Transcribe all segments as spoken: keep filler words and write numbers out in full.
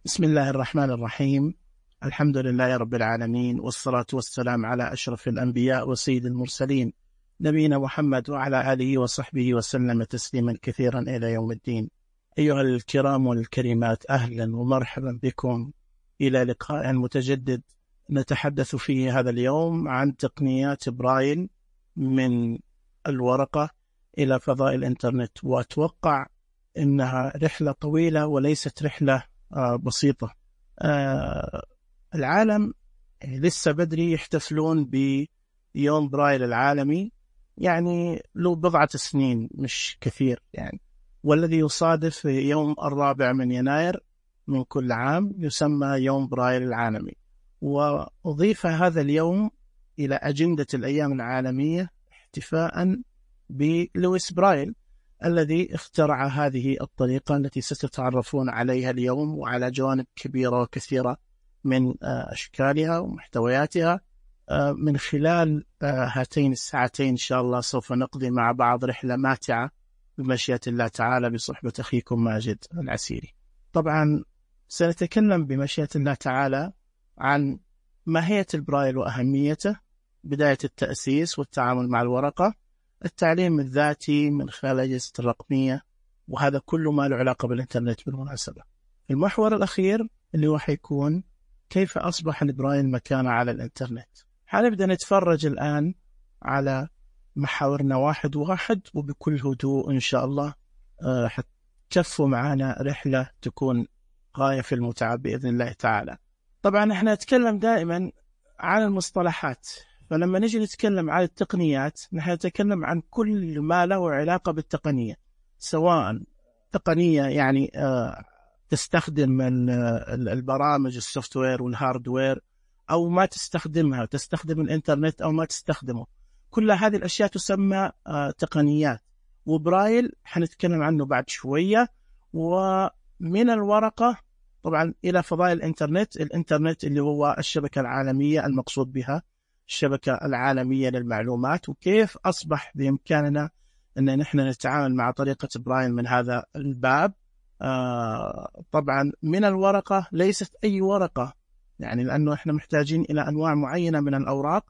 بسم الله الرحمن الرحيم. الحمد لله رب العالمين، والصلاة والسلام على أشرف الأنبياء وسيد المرسلين، نبينا محمد وعلى آله وصحبه وسلم تسليما كثيرا إلى يوم الدين. أيها الكرام والكريمات، أهلا ومرحبا بكم إلى لقاء متجدد نتحدث فيه هذا اليوم عن تقنيات برايل من الورقة إلى فضاء الإنترنت. وأتوقع إنها رحلة طويلة وليست رحلة آه بسيطة. آه العالم لسه بدري يحتفلون بيوم برايل العالمي، يعني له بضعة سنين مش كثير يعني، والذي يصادف يوم الرابع من يناير من كل عام يسمى يوم برايل العالمي. وأضيف هذا اليوم إلى أجندة الأيام العالمية احتفاء بلويس برايل الذي اخترع هذه الطريقة التي ستتعرفون عليها اليوم، وعلى جوانب كبيرة وكثيرة من أشكالها ومحتوياتها. من خلال هاتين الساعتين إن شاء الله سوف نقضي مع بعض رحلة ماتعة بمشيئة الله تعالى بصحبة أخيكم ماجد العسيري. طبعا سنتكلم بمشيئة الله تعالى عن ماهية البرايل وأهميته، بداية التأسيس والتعامل مع الورقة، التعليم الذاتي من خلال الأجهزة الرقمية، وهذا كله ما له علاقة بالإنترنت بالمناسبة. المحور الأخير اللي هو حيكون كيف أصبح البرايل مكانه على الإنترنت. حنبدأ نتفرج الآن على محاورنا واحد واحد وبكل هدوء إن شاء الله. أه حتكفوا معنا رحلة تكون غاية في المتعة بإذن الله تعالى. طبعا احنا نتكلم دائما عن المصطلحات، فلما نجي نتكلم عن التقنيات نحن نتكلم عن كل ما له علاقة بالتقنية، سواء تقنية يعني آه تستخدم البرامج السوفتوير والهاردوير، أو ما تستخدمها، تستخدم الإنترنت أو ما تستخدمه. كل هذه الأشياء تسمى آه تقنيات. وبرايل حنتكلم عنه بعد شوية. ومن الورقة طبعا إلى فضاء الإنترنت، الإنترنت اللي هو الشبكة العالمية المقصود بها الشبكة العالمية للمعلومات، وكيف أصبح بإمكاننا أن نحن نتعامل مع طريقة برايل من هذا الباب. آه طبعا من الورقة ليست أي ورقة، يعني لأنه إحنا محتاجين إلى أنواع معينة من الأوراق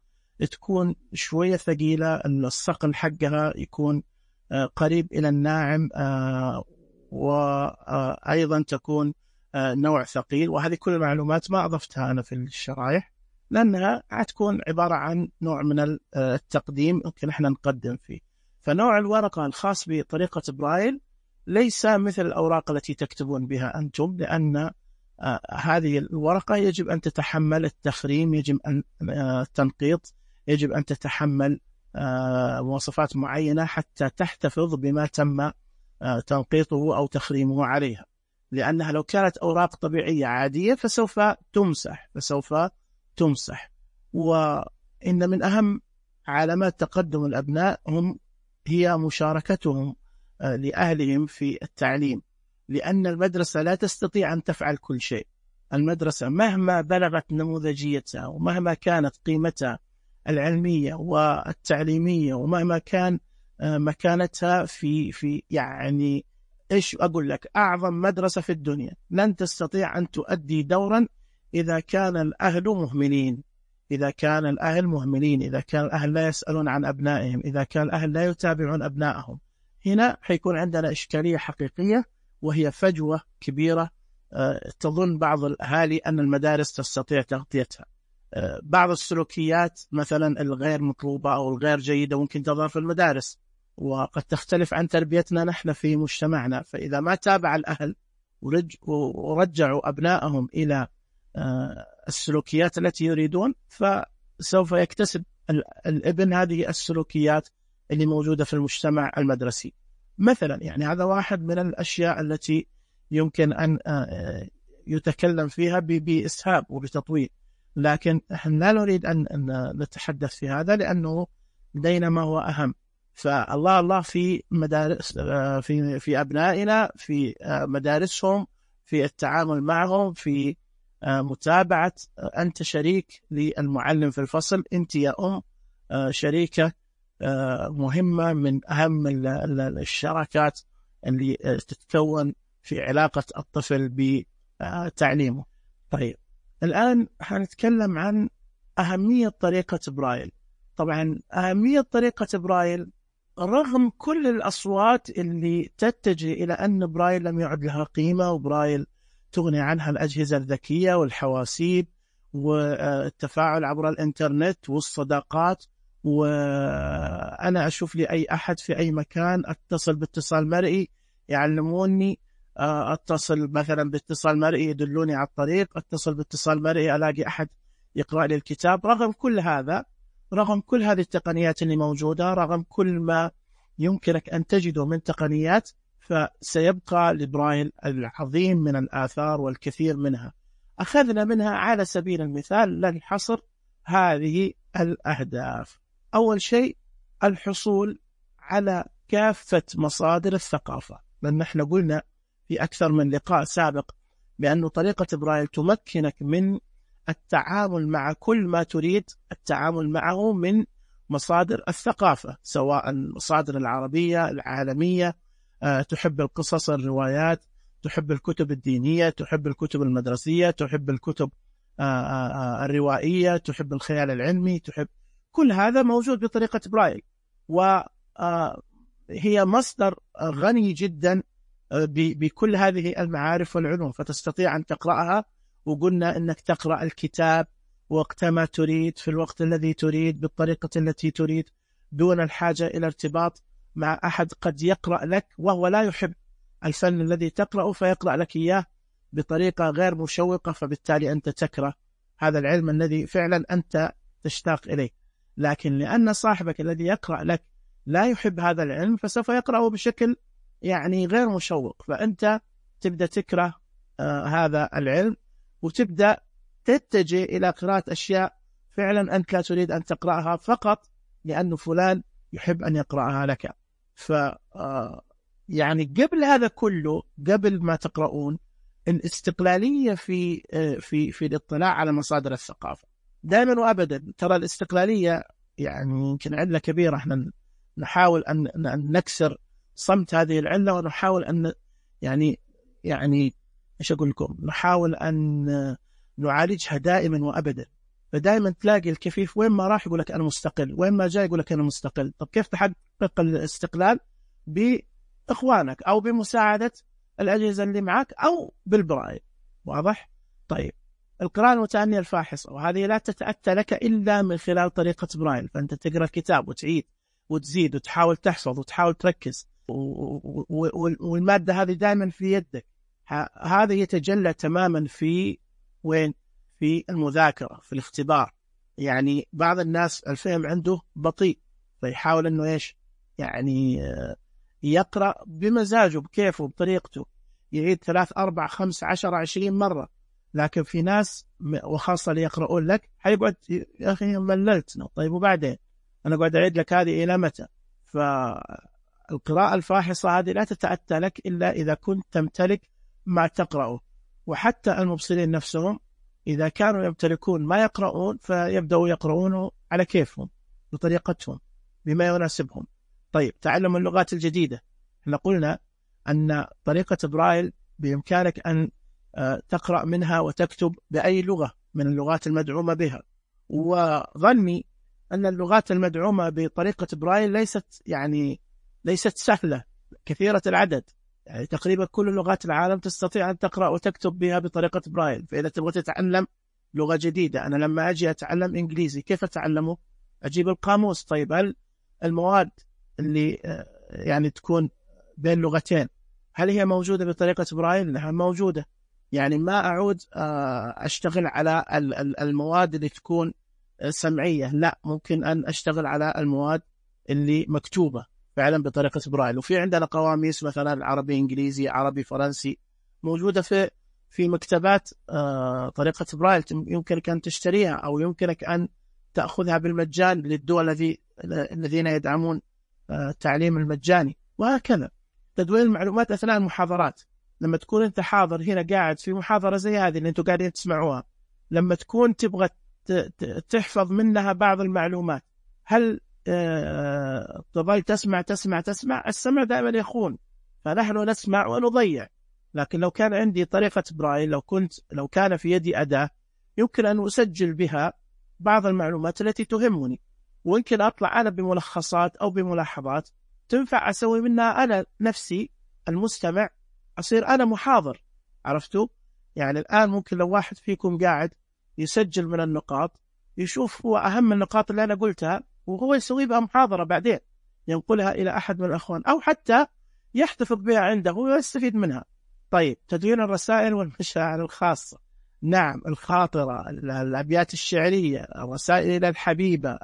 تكون شوية ثقيلة، الصقل حقها يكون آه قريب إلى الناعم، آه وأيضا تكون آه نوع ثقيل. وهذه كل المعلومات ما أضفتها أنا في الشرائح، لأنها هتكون عبارة عن نوع من التقديم ممكن احنا نقدم فيه. فنوع الورقة الخاص بطريقة برايل ليس مثل الأوراق التي تكتبون بها أنتم، لأن آه هذه الورقة يجب أن تتحمل التخريم، يجب أن آه تنقيط، يجب أن تتحمل آه مواصفات معينة حتى تحتفظ بما تم آه تنقيطه أو تخريمه عليها. لأنها لو كانت أوراق طبيعية عادية فسوف تمسح فسوف تمسح. وإن من أهم علامات تقدم الأبناء هم هي مشاركتهم لأهلهم في التعليم، لأن المدرسة لا تستطيع أن تفعل كل شيء. المدرسة مهما بلغت نموذجيتها ومهما كانت قيمتها العلمية والتعليمية ومهما كان مكانتها في في يعني إيش أقول لك أعظم مدرسة في الدنيا، لن تستطيع أن تؤدي دورا إذا كان الأهل مهملين إذا كان الأهل مهملين إذا كان الأهل لا يسألون عن أبنائهم، إذا كان الأهل لا يتابعون أبنائهم. هنا حيكون عندنا إشكالية حقيقية، وهي فجوة كبيرة. أه تظن بعض الأهالي أن المدارس تستطيع تغطيتها. أه بعض السلوكيات مثلا الغير مطلوبة أو الغير جيدة ممكن تظهر في المدارس، وقد تختلف عن تربيتنا نحن في مجتمعنا. فإذا ما تابع الأهل ورج ورجعوا أبنائهم إلى السلوكيات التي يريدون، فسوف يكتسب الابن هذه السلوكيات اللي موجودة في المجتمع المدرسي مثلا. يعني هذا واحد من الأشياء التي يمكن أن يتكلم فيها بإسهاب وبتطويل، لكن نحن لا نريد أن نتحدث في هذا لأنه لدينا ما هو أهم. فالله الله في مدارس في في أبنائنا، في مدارسهم، في التعامل معهم، في متابعة. أنت شريك للمعلم في الفصل، أنت يا أم شريكة مهمة من أهم الشراكات اللي تتكون في علاقة الطفل تعليمه. طيب الآن حنتكلم عن أهمية طريقة برايل. طبعا أهمية طريقة برايل رغم كل الأصوات اللي تتجه إلى أن برايل لم يعد لها قيمة، وبرايل تغني عنها الأجهزة الذكية والحواسيب والتفاعل عبر الإنترنت والصداقات، وأنا أشوف لي أي أحد في أي مكان أتصل باتصال مرئي يعلموني، أتصل مثلا باتصال مرئي يدلوني على الطريق، أتصل باتصال مرئي ألاقي أحد يقرأ لي الكتاب. رغم كل هذا، رغم كل هذه التقنيات اللي موجودة، رغم كل ما يمكنك أن تجده من تقنيات، فسيبقى لبرايل العظيم من الآثار والكثير منها. أخذنا منها على سبيل المثال للحصر هذه الأهداف. أول شيء الحصول على كافة مصادر الثقافة، لأن نحن قلنا في أكثر من لقاء سابق بأن طريقة برايل تمكنك من التعامل مع كل ما تريد التعامل معه من مصادر الثقافة، سواء المصادر العربية العالمية، أه تحب القصص الروايات، تحب الكتب الدينية، تحب الكتب المدرسية، تحب الكتب أه أه الروائية، تحب الخيال العلمي، تحب كل هذا موجود بطريقة برايل، وهي مصدر غني جدا بكل هذه المعارف والعلوم، فتستطيع أن تقرأها. وقلنا أنك تقرأ الكتاب وقتما تريد في الوقت الذي تريد بالطريقة التي تريد، دون الحاجة إلى ارتباط مع أحد قد يقرأ لك وهو لا يحب الفن الذي تقرأه، فيقرأ لك إياه بطريقة غير مشوقة، فبالتالي أنت تكره هذا العلم الذي فعلا أنت تشتاق إليه. لكن لأن صاحبك الذي يقرأ لك لا يحب هذا العلم، فسوف يقرأه بشكل يعني غير مشوق، فأنت تبدأ تكره آه هذا العلم، وتبدأ تتجه إلى قراءة أشياء فعلا أنت لا تريد أن تقرأها فقط لأنه فلان يحب أن يقرأها لك. ف يعني قبل هذا كله، قبل ما تقرؤون، الاستقلالية في في في الاطلاع على مصادر الثقافة دائما وأبدا. ترى الاستقلالية يعني يمكن علة كبيرة، احنا نحاول أن نكسر صمت هذه العلة، ونحاول أن يعني يعني إيش أقول لكم، نحاول أن نعالجها دائما وأبدا. فدائما تلاقي الكفيف وين ما راح يقول لك أنا مستقل، وين ما جاء يقول لك أنا مستقل. طب كيف تحقق الاستقلال؟ بإخوانك أو بمساعدة الأجهزة اللي معك أو بالبرايل. واضح؟ طيب القراءة المتأنية الفاحصة، وهذه لا تتأتى لك إلا من خلال طريقة برايل، فأنت تقرأ الكتاب وتعيد وتزيد وتحاول تحفظ وتحاول تركز، والمادة هذه دائما في يدك. هذا يتجلى تماما في وين؟ في المذاكرة، في الاختبار. يعني بعض الناس الفهم عنده بطيء، فيحاول أنه إيش يعني يقرأ بمزاجه بكيفه بطريقته، يعيد ثلاث أربع خمس عشر عشرين مرة. لكن في ناس وخاصة اللي يقرؤون لك حيقعد يا أخي مللتنا، طيب وبعدين أنا قاعد أعيد لك هذه إلى متى؟ فالقراءة الفاحصة هذه لا تتأتى لك إلا إذا كنت تمتلك ما تقرأه. وحتى المبصرين نفسهم إذا كانوا يمتلكون ما يقرؤون، فيبدأوا يقرؤونه على كيفهم بطريقتهم بما يناسبهم. طيب تعلم اللغات الجديدة، احنا قلنا أن طريقة برايل بإمكانك أن تقرأ منها وتكتب بأي لغة من اللغات المدعومة بها. وظني أن اللغات المدعومة بطريقة برايل ليست يعني ليست سهلة، كثيرة العدد، يعني تقريبا كل لغات العالم تستطيع أن تقرأ وتكتب بها بطريقة برايل. فإذا تبغى تتعلم لغة جديدة، أنا لما أجي أتعلم إنجليزي كيف أتعلمه؟ أجيب القاموس. طيب هل المواد اللي يعني تكون بين لغتين هل هي موجودة بطريقة برايل؟ نعم موجودة. يعني ما أعود أشتغل على المواد اللي تكون سمعية، لا، ممكن أن أشتغل على المواد اللي مكتوبة فعلا بطريقة برايل. وفي عندنا قواميس مثلا عربي إنجليزي عربي فرنسي موجودة في في مكتبات طريقة برايل، يمكنك أن تشتريها أو يمكنك أن تأخذها بالمجان للدول الذي الذين يدعمون التعليم المجاني. وهكذا تدوين المعلومات أثناء المحاضرات، لما تكون أنت حاضر هنا قاعد في محاضرة زي هذه اللي أنتم قاعدين تسمعوها، لما تكون تبغى تحفظ منها بعض المعلومات، هل تظل تسمع تسمع تسمع؟ السمع دائما يخون، فنحن نسمع ونضيع. لكن لو كان عندي طريقة برايل، لو كنت لو كان في يدي أداة يمكن أن أسجل بها بعض المعلومات التي تهمني، ويمكن أطلع أنا بملخصات أو بملاحظات تنفع أسوي منها أنا نفسي المستمع، أصير أنا محاضر. عرفتوا؟ يعني الآن ممكن لو واحد فيكم قاعد يسجل من النقاط، يشوف هو أهم النقاط اللي أنا قلتها وهو يسوي بها محاضرة بعدين ينقلها إلى أحد من الأخوان، أو حتى يحتفظ بها عنده ويستفيد منها. طيب، تدوين الرسائل والمشاعر الخاصة، نعم، الخاطرة، الأبيات الشعرية، الرسائل إلى الحبيبة،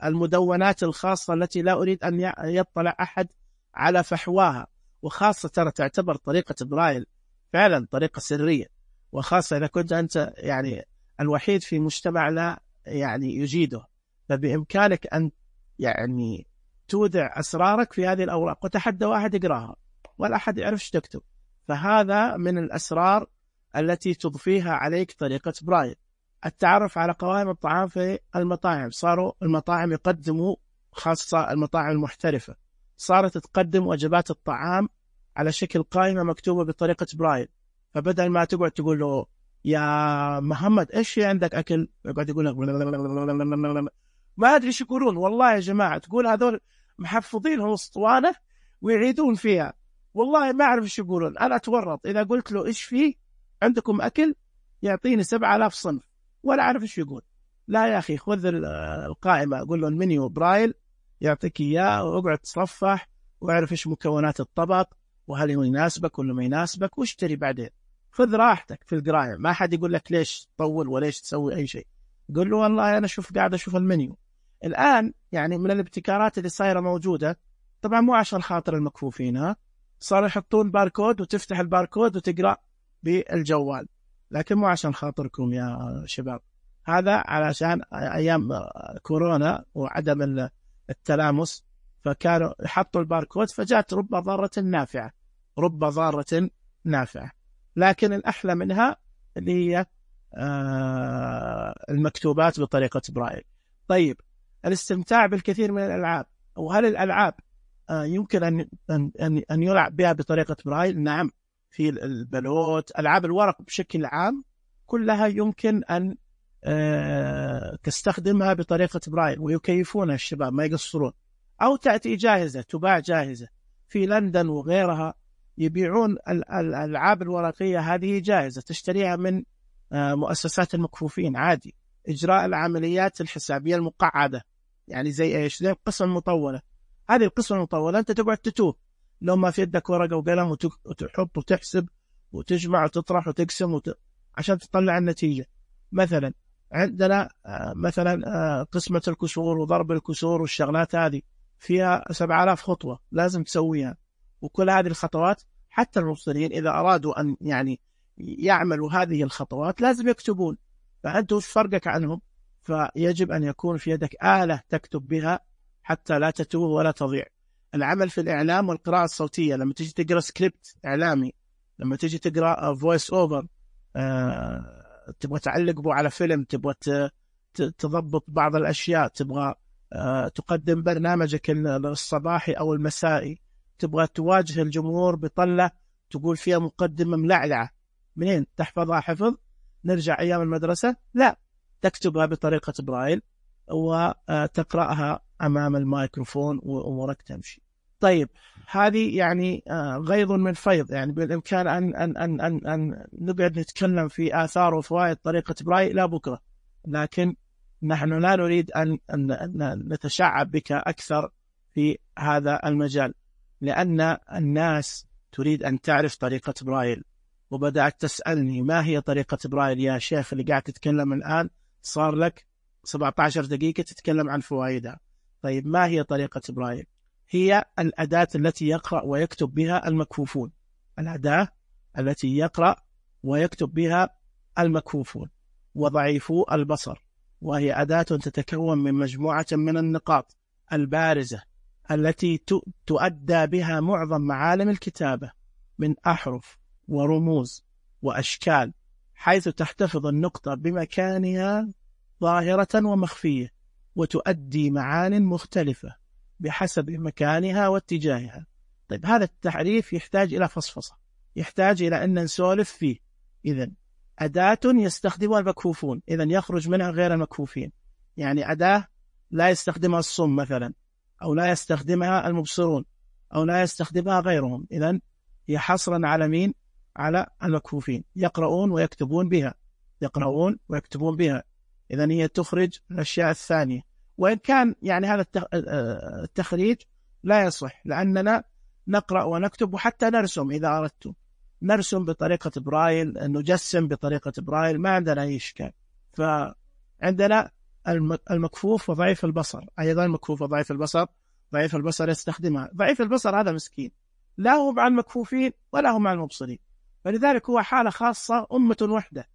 المدونات الخاصة التي لا أريد أن يطلع أحد على فحواها، وخاصة ترى تعتبر طريقة برايل فعلا طريقة سرية، وخاصة إذا كنت أنت يعني الوحيد في مجتمع لا يعني يجيده، فبإمكانك أن يعني تودع أسرارك في هذه الأوراق، وتحدى واحد يقراها ولا أحد يعرف ايش تكتب. فهذا من الأسرار التي تضفيها عليك طريقة برايل. التعرف على قوائم الطعام في المطاعم، صاروا المطاعم يقدموا، خاصة المطاعم المحترفة، صارت تقدم وجبات الطعام على شكل قائمة مكتوبة بطريقة برايل. فبدل ما تقعد تقول له يا محمد ايش في عندك أكل، يقعد يقول لك ما أدري ايش يقولون. والله يا جماعة تقول هذول محفظينهم اسطوانة ويعيدون فيها، والله ما أعرف ايش يقولون. أنا أتورط إذا قلت له ايش في عندكم أكل يعطيني سبعة آلاف صنف ولا أعرف ايش يقول. لا يا أخي، خذ القائمة، أقول له المنيو برايل يعطيك إياه، واقعد تصفح واعرف ايش مكونات الطبق وهل يناسبك ولا ما يناسبك، واشتري بعدين. خذ راحتك في القراية، ما حد يقول لك ليش تطول وليش تسوي أي شيء. قل له والله أنا شوف قاعد أشوف المنيو. الآن يعني من الابتكارات اللي صايرة موجودة، طبعا مو عشان خاطر المكفوفين، ها، صاروا يحطون باركود وتفتح الباركود وتقرأ بالجوال، لكن مو عشان خاطركم يا شباب، هذا علشان أيام كورونا وعدم التلامس، فكانوا يحطوا الباركود، فجاءت رب ضارة نافعة، رب ضارة نافعة. لكن الأحلى منها اللي هي المكتوبات بطريقة برايل. طيب، الاستمتاع بالكثير من الألعاب، وهل الألعاب يمكن أن أن أن يلعب بها بطريقة برايل؟ نعم، في البلوت، ألعاب الورق بشكل عام كلها يمكن أن تستخدمها بطريقة برايل، ويكيفونها الشباب ما يقصرون، أو تأتي جاهزة، تباع جاهزة في لندن وغيرها، يبيعون الألعاب الورقية هذه جاهزة، تشتريها من مؤسسات المكفوفين عادي. إجراء العمليات الحسابية المقعدة، يعني زي إيش؟ زي القسم المطولة. هذه القسم المطولة أنت تقعد تتوه لو ما في يدك ورقة وقلم وتحط وتحسب وتجمع وتطرح وتقسم وت... عشان تطلع النتيجة. مثلا عندنا مثلا قسمة الكسور وضرب الكسور والشغلات هذه فيها سبعة آلاف خطوة لازم تسويها، وكل هذه الخطوات حتى المبصرين إذا أرادوا أن يعني يعملوا هذه الخطوات لازم يكتبون، فأنت وش فرقك عنهم؟ فيجب أن يكون في يدك آلة تكتب بها حتى لا تتوه ولا تضيع. العمل في الإعلام والقراءة الصوتية، لما تيجي تقرأ سكريبت إعلامي، لما تيجي تقرأ فويس أوفر، أه تبغى تعلق بو على فيلم، تبغى تضبط بعض الأشياء، تبغى أه تقدم برنامجك الصباحي أو المسائي، تبغى تواجه الجمهور بطلة تقول فيها مقدمة ملعلعة، منين تحفظها حفظ؟ نرجع أيام المدرسة؟ لا، تكتبها بطريقة برايل وتقرأها أمام الميكروفون وأمورك تمشي. طيب، هذه يعني غيض من فيض، يعني بالإمكان أن, أن, أن, أن, أن نقعد نتكلم في آثار وفوائد طريقة برايل لا بكرة، لكن نحن لا نريد أن, أن, أن نتشعب بك أكثر في هذا المجال، لأن الناس تريد أن تعرف طريقة برايل، وبدأت تسألني ما هي طريقة برايل يا شيخ اللي قاعد تتكلم الآن، صار لك سبعة عشر دقيقة تتكلم عن فوائدها. طيب، ما هي طريقة برايل؟ هي الأداة التي يقرأ ويكتب بها المكفوفون، الأداة التي يقرأ ويكتب بها المكفوفون وضعيفو البصر، وهي أداة تتكون من مجموعة من النقاط البارزة التي تؤدى بها معظم معالم الكتابة من أحرف ورموز وأشكال، حيث تحتفظ النقطة بمكانها ظاهرة ومخفية، وتؤدي معان مختلفة بحسب مكانها واتجاهها. طيب هذا التعريف يحتاج إلى فصفصة، يحتاج إلى أن نسولف فيه. إذن أداة يستخدمها المكفوفون، إذن يخرج منها غير المكفوفين. يعني أداة لا يستخدمها الصم مثلا، أو لا يستخدمها المبصرون، أو لا يستخدمها غيرهم، إذن هي حصرا على مين؟ على المكفوفين، يقرؤون ويكتبون بها، يقرؤون ويكتبون بها. إذن هي تخرج الأشياء الثانية، وإن كان يعني هذا التخريج لا يصح، لأننا نقرأ ونكتب وحتى نرسم إذا أردت، نرسم بطريقة برايل، نجسم بطريقة برايل، ما عندنا أي إشكال. فعندنا المكفوف وضعيف البصر، أيضا المكفوف وضعيف البصر، ضعيف البصر يستخدمها. ضعيف البصر هذا مسكين، لا هو مع المكفوفين ولا هو مع المبصرين، فلذلك هو حالة خاصة، أمة وحدة.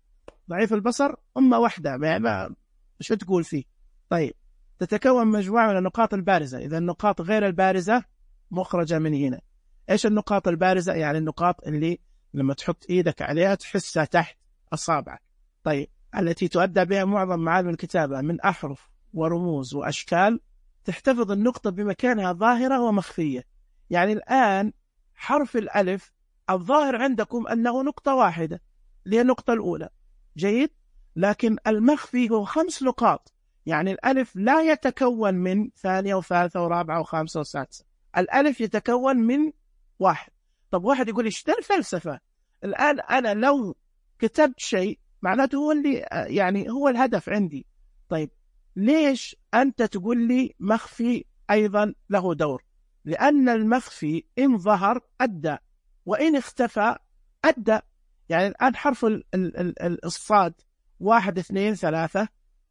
ضعيف البصر أمة وحدة، ما مش تقول فيه. طيب تتكون مجموعة من النقاط البارزة، إذا النقاط غير البارزة مخرجة من هنا. إيش النقاط البارزة؟ يعني النقاط اللي لما تحط إيدك عليها تحسها تحت أصابعك. طيب التي تؤدى بها معظم معالم الكتابة من أحرف ورموز وأشكال، تحتفظ النقطة بمكانها ظاهرة ومخفية. يعني الآن حرف الألف الظاهر عندكم أنه نقطة واحدة، اللي هي النقطة الأولى، جيد، لكن المخفي هو خمس نقاط. يعني الألف لا يتكون من ثانية وثالثة ورابعة وخامسة وسادسة، الألف يتكون من واحد. طب واحد يقول إيش ده الفلسفة؟ الآن أنا لو كتبت شيء معناته هو اللي يعني هو الهدف عندي. طيب ليش أنت تقول لي مخفي أيضا له دور؟ لأن المخفي إن ظهر أدى، وإن اختفى أدى. يعني الآن حرف ال ال ال الصاد واحد اثنين ثلاثة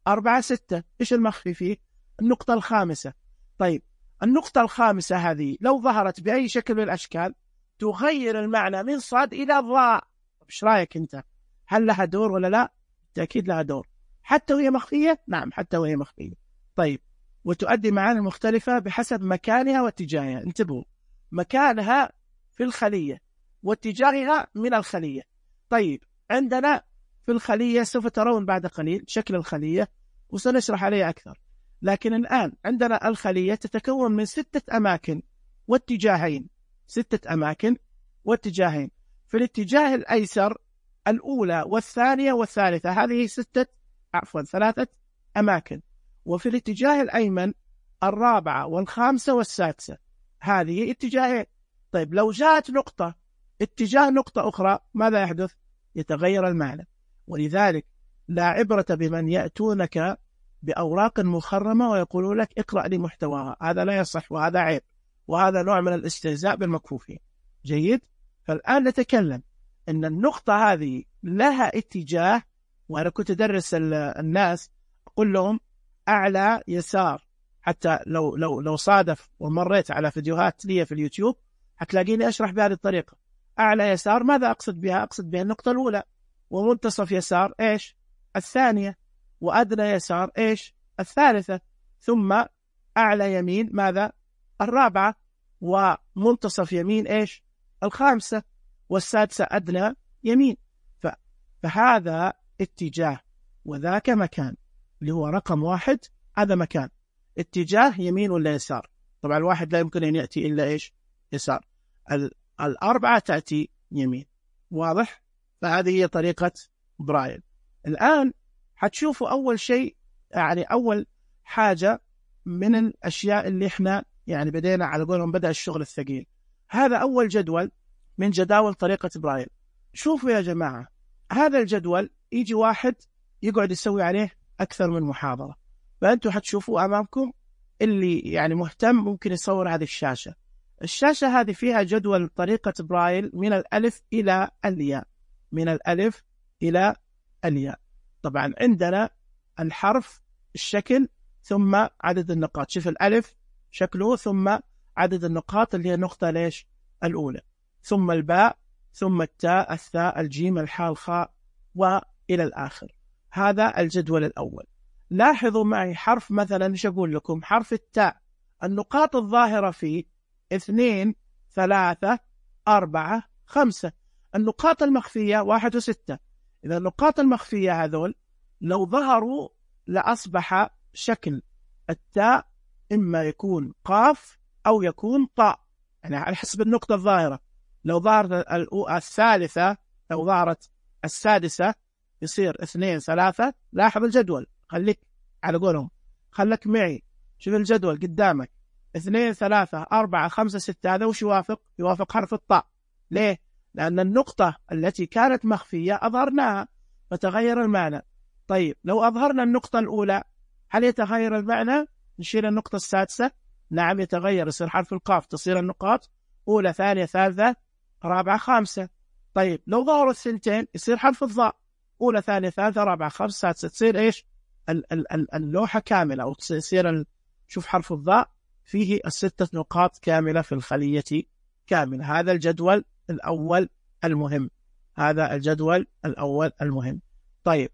أربعة ستة، إيش المخفي فيه؟ النقطة الخامسة. طيب النقطة الخامسة هذه لو ظهرت بأي شكل من الأشكال تغير المعنى من صاد إلى ضاء. إيش رأيك أنت؟ هل لها دور ولا لا؟ بالتأكيد لها دور، حتى وهي مخفية. نعم حتى وهي مخفية. طيب وتؤدي معاني مختلفة بحسب مكانها واتجاهها. انتبهوا، مكانها في الخلية واتجاهها من الخلية. طيب عندنا في الخلية سوف ترون بعد قليل شكل الخلية وسنشرح عليه أكثر، لكن الآن عندنا الخلية تتكون من ستة أماكن واتجاهين، ستة أماكن واتجاهين. في الاتجاه الأيسر الأولى والثانية والثالثة، هذه ستة عفوا ثلاثة أماكن. وفي الاتجاه الأيمن الرابعة والخامسة والسادسة، هذه اتجاهين. طيب لو جاءت نقطة اتجاه نقطة أخرى ماذا يحدث؟ يتغير المعنى. ولذلك لا عبرة بمن يأتونك بأوراق مخرمة ويقولون لك اقرأ لي محتواها، هذا لا يصح وهذا عيب، وهذا نوع من الاستهزاء بالمكفوفين. جيد؟ فالآن نتكلم أن النقطة هذه لها اتجاه. وأنا كنت أدرس الناس أقول لهم أعلى يسار، حتى لو لو لو صادف ومريت على فيديوهات لي في اليوتيوب هتلاقيني أشرح بهذه الطريقة. أعلى يسار ماذا أقصد بها؟ أقصد بها النقطة الأولى. ومنتصف يسار إيش؟ الثانية. وأدنى يسار إيش؟ الثالثة. ثم أعلى يمين ماذا؟ الرابعة. ومنتصف يمين إيش؟ الخامسة. والسادسة أدنى يمين. فهذا اتجاه وذاك مكان، اللي هو رقم واحد هذا مكان. اتجاه يمين ولا يسار؟ طبعا الواحد لا يمكن أن يأتي إلا إيش؟ يسار. الأربعة تأتي يمين. واضح؟ فهذه هي طريقة برايل. الآن حتشوفوا أول شيء، يعني أول حاجة من الأشياء اللي إحنا يعني بدينا على قولهم بدأ الشغل الثقيل. هذا أول جدول من جداول طريقة برايل. شوفوا يا جماعة، هذا الجدول يجي واحد يقعد يسوي عليه أكثر من محاضرة، فأنتوا حتشوفوا أمامكم. اللي يعني مهتم ممكن يصور هذه الشاشة. الشاشة هذه فيها جدول طريقة برايل من الألف إلى الياء، من الألف إلى الياء. طبعا عندنا الحرف، الشكل، ثم عدد النقاط. شوف الألف شكله، ثم عدد النقاط اللي هي النقطة ليش الأولى، ثم الباء، ثم التاء، الثاء، الجيم، الحاء، الخاء، وإلى الآخر. هذا الجدول الأول. لاحظوا معي حرف مثلا، ايش أقول لكم؟ حرف التاء النقاط الظاهرة فيه اثنين ثلاثة أربعة خمسة. النقاط المخفية واحد وستة. إذا النقاط المخفية هذول لو ظهروا لأصبح شكل التاء إما يكون قاف أو يكون طاء. يعني على حسب النقطة الظاهرة. لو ظهرت الثالثة، لو ظهرت السادسة يصير اثنين ثلاثة. لاحظ الجدول، خليك على قولهم، خلك معي، شوف الجدول قدامك، اثنين ثلاثة أربعة خمسة ستة، هذا وش يوافق؟ يوافق حرف الطاء. ليه؟ لأن النقطة التي كانت مخفية أظهرناها فتغير المعنى. طيب لو أظهرنا النقطة الأولى هل يتغير المعنى؟ نشيل النقطة السادسة؟ نعم يتغير، يصير حرف القاف تصير النقاط أولى ثانية ثالثة رابعة خامسة. طيب لو ظهروا الثنتين يصير حرف الضاء، أولى ثانية ثالثة رابعة خامسة سادسة، تصير إيش؟ اللوحة كاملة، أو تصير شوف حرف الضاء فيه الستة نقاط كاملة في الخلية كاملة. هذا الجدول الأول المهم، هذا الجدول الأول المهم. طيب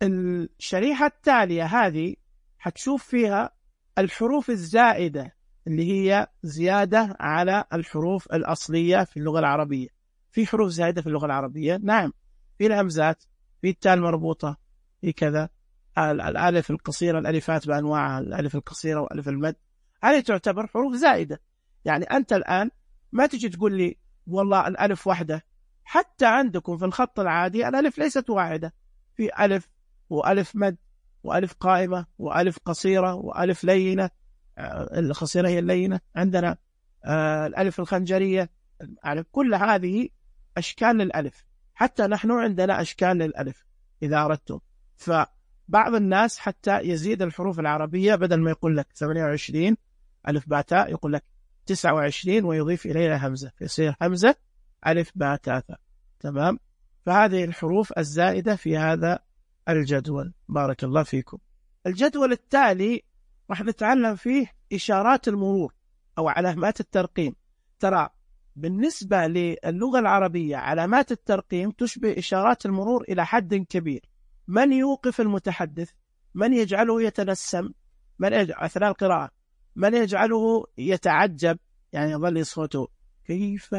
الشريحة التالية هذه حتشوف فيها الحروف الزائدة اللي هي زيادة على الحروف الأصلية في اللغة العربية. في حروف زائدة في اللغة العربية، نعم، في الهمزات، في التاء المربوطة، في كذا الألف القصيرة، الألفات بأنواعها، الألف القصيرة وألف المد، هذه تعتبر حروف زائدة. يعني أنت الآن ما تجي تقول لي والله الألف واحدة، حتى عندكم في الخط العادي الألف ليست واحدة، في ألف وألف مد وألف قائمة وألف قصيرة وألف لينة. القصيرة هي اللينة عندنا، آه الألف الخنجرية، كل هذه أشكال للألف. حتى نحن عندنا أشكال للألف إذا أردتم. فبعض الناس حتى يزيد الحروف العربية، بدل ما يقول لك ثمانية وعشرين ألف باء تاء يقول لك تسعة وعشرين ويضيف إليها همزة، فيصير همزة ألف باء تاء. تمام. فهذه الحروف الزائدة في هذا الجدول. بارك الله فيكم. الجدول التالي راح نتعلم فيه إشارات المرور أو علامات الترقيم. ترى بالنسبة للغة العربية علامات الترقيم تشبه إشارات المرور إلى حد كبير. من يوقف المتحدث، من يجعله يتنسم، من يجعل أثناء القراءة، من يجعله يتعجب، يعني يظل صوته كيف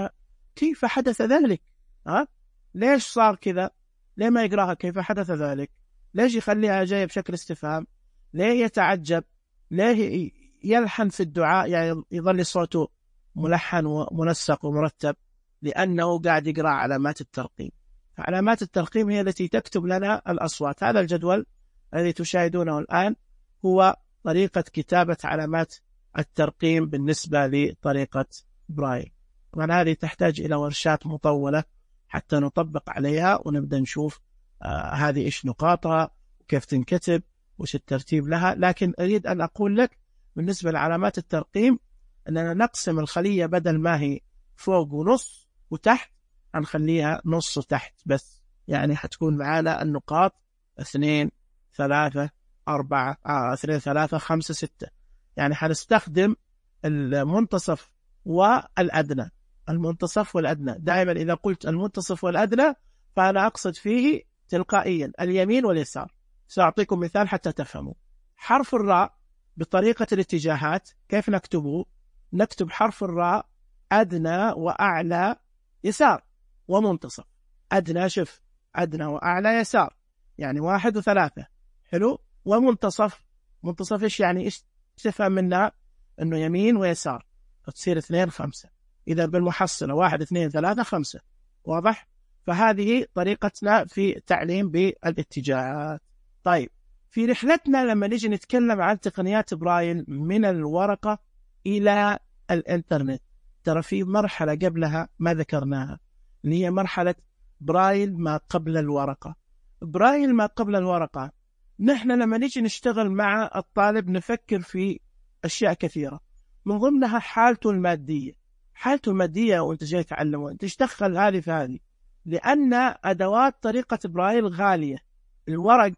كيف حدث ذلك؟ ها؟ ليش صار كذا؟ ليه ما يقراها كيف حدث ذلك؟ ليش يخليها جاية بشكل استفهام؟ ليه يتعجب؟ ليه يلحن في الدعاء، يعني يظل صوته ملحن ومنسق ومرتب؟ لأنه قاعد يقرأ علامات الترقيم. علامات الترقيم هي التي تكتب لنا الأصوات. هذا الجدول الذي تشاهدونه الآن هو طريقة كتابة علامات الترقيم بالنسبة لطريقة برايل. طبعا هذه تحتاج إلى ورشات مطولة حتى نطبق عليها ونبدأ نشوف آه هذه إيش نقاطها وكيف تنكتب وش الترتيب لها. لكن أريد أن أقول لك بالنسبة لعلامات الترقيم أننا نقسم الخلية، بدل ما هي فوق ونص وتحت هنخليها نص وتحت بس. يعني حتكون معانا النقاط اثنين ثلاثة أربعة آه اثنين ثلاثة خمسة ستة. يعني حنستخدم المنتصف والأدنى. المنتصف والأدنى دائما إذا قلت المنتصف والأدنى فأنا أقصد فيه تلقائيا اليمين واليسار. سأعطيكم مثال حتى تفهموا. حرف الراء بطريقة الاتجاهات كيف نكتبه؟ نكتب حرف الراء أدنى وأعلى يسار ومنتصف. أدنى، شوف، أدنى وأعلى يسار، يعني واحد وثلاثة، حلو. ومنتصف، منتصف إيش يعني؟ إيش تفهم منها؟ إنه يمين ويسار، تصير اثنين خمسة. إذا بالمحصلة واحد اثنين ثلاثة خمسة. واضح؟ فهذه طريقتنا في تعليم بالاتجاهات. طيب في رحلتنا لما نيجي نتكلم عن تقنيات برايل من الورقة إلى الإنترنت، ترى في مرحلة قبلها ما ذكرناها، اللي هي مرحلة برايل ما قبل الورقة. برايل ما قبل الورقة، نحن لما نيجي نشتغل مع الطالب نفكر في أشياء كثيرة، من ضمنها حالته المادية. حالته المادية وانت جاي تعلمه، انت تشتغل هذه في هذه، لأن أدوات طريقة برايل غالية. الورق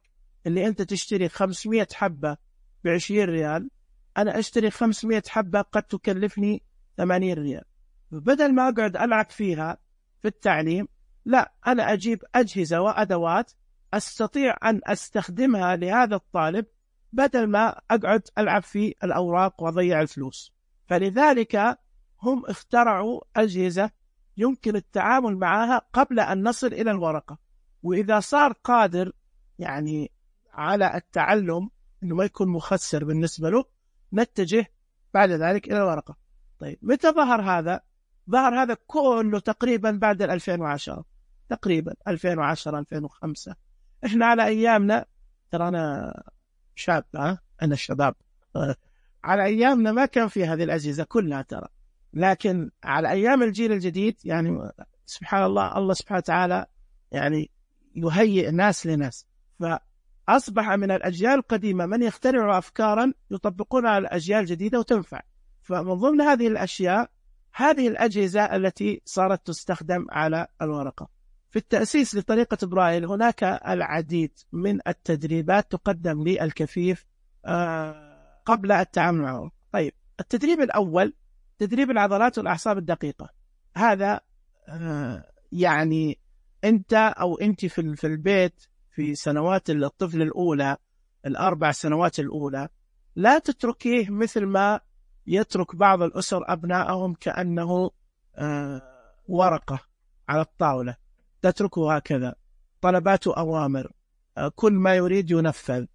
اللي انت تشتري خمسمائة حبة بعشرين ريال، أنا أشتري خمسمائة حبة قد تكلفني ثمانين ريال. بدل ما أقعد ألعب فيها في التعليم، لا، أنا أجيب أجهزة وأدوات أستطيع أن أستخدمها لهذا الطالب بدل ما أقعد ألعب في الأوراق وأضيع الفلوس. فلذلك هم اخترعوا أجهزة يمكن التعامل معها قبل أن نصل إلى الورقة. وإذا صار قادر يعني على التعلم إنه ما يكون مخسر بالنسبة له، نتجه بعد ذلك إلى الورقة. طيب متى ظهر هذا؟ ظهر هذا كله تقريبا بعد ألفين وعشرة، تقريبا ألفين وعشرة ألفين وخمسة. إحنا على أيامنا، ترى أنا شاب، ها أنا الشباب، على أيامنا ما كان في هذه الأجهزة كلها ترى، لكن على أيام الجيل الجديد يعني سبحان الله، الله سبحانه وتعالى يعني يهيئ ناس لناس، فأصبح من الأجيال القديمة من يخترعوا أفكارا يطبقونها على الأجيال الجديدة وتنفع. فمن ضمن هذه الأشياء هذه الأجهزة التي صارت تستخدم على الورقة. في التأسيس لطريقة برايل هناك العديد من التدريبات تقدم للكفيف قبل التعامل معه. طيب، التدريب الأول تدريب العضلات والأعصاب الدقيقة. هذا يعني أنت أو أنت في البيت في سنوات الطفل الأولى، الأربع سنوات الأولى، لا تتركيه مثل ما يترك بعض الأسر أبنائهم كأنه ورقة على الطاولة، تتركه هكذا، طلباته أوامر، كل ما يريد ينفذ،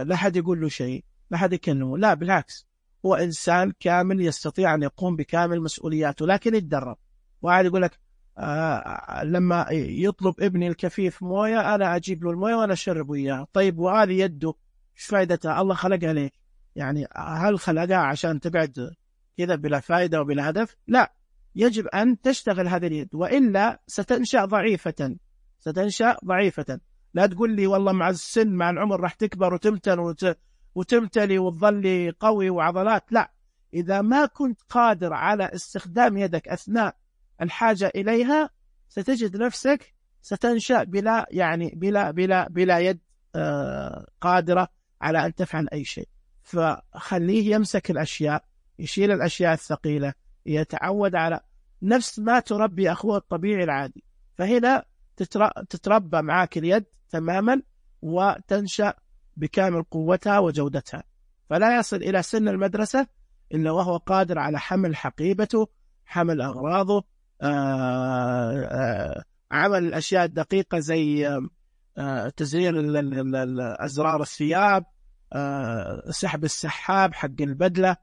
لا حد يقول له شيء، لا حد يكلمه. لا، بالعكس، هو إنسان كامل يستطيع أن يقوم بكامل مسؤولياته، لكن يتدرب. واحد يقول لك آه لما يطلب ابني الكفيف موية أنا أجيب له الموية وأنا أشربه إياها. طيب، وهذه يده إيش فائدتها؟ الله خلقها ليه؟ يعني هل خلقها عشان تقعد كذا بلا فائدة وبلا هدف؟ لا، يجب أن تشتغل هذه اليد، وإلا ستنشأ ضعيفة، ستنشأ ضعيفة. لا تقول لي والله مع السن مع العمر راح تكبر وتمتن وت... وتمتلي وتظل قوي وعضلات. لا، إذا ما كنت قادر على استخدام يدك أثناء الحاجة إليها ستجد نفسك ستنشأ بلا يعني بلا بلا بلا يد آه قادرة على أن تفعل أي شيء. فخليه يمسك الأشياء، يشيل الأشياء الثقيلة، يتعود على نفس ما تربي أخوه الطبيعي العادي. فهنا تتربى معاك اليد تماما وتنشأ بكامل قوتها وجودتها، فلا يصل إلى سن المدرسة إلا وهو قادر على حمل حقيبته، حمل أغراضه، آآ آآ عمل الأشياء الدقيقة زي تزرير أزرار الثياب، سحب السحاب حق البدلة،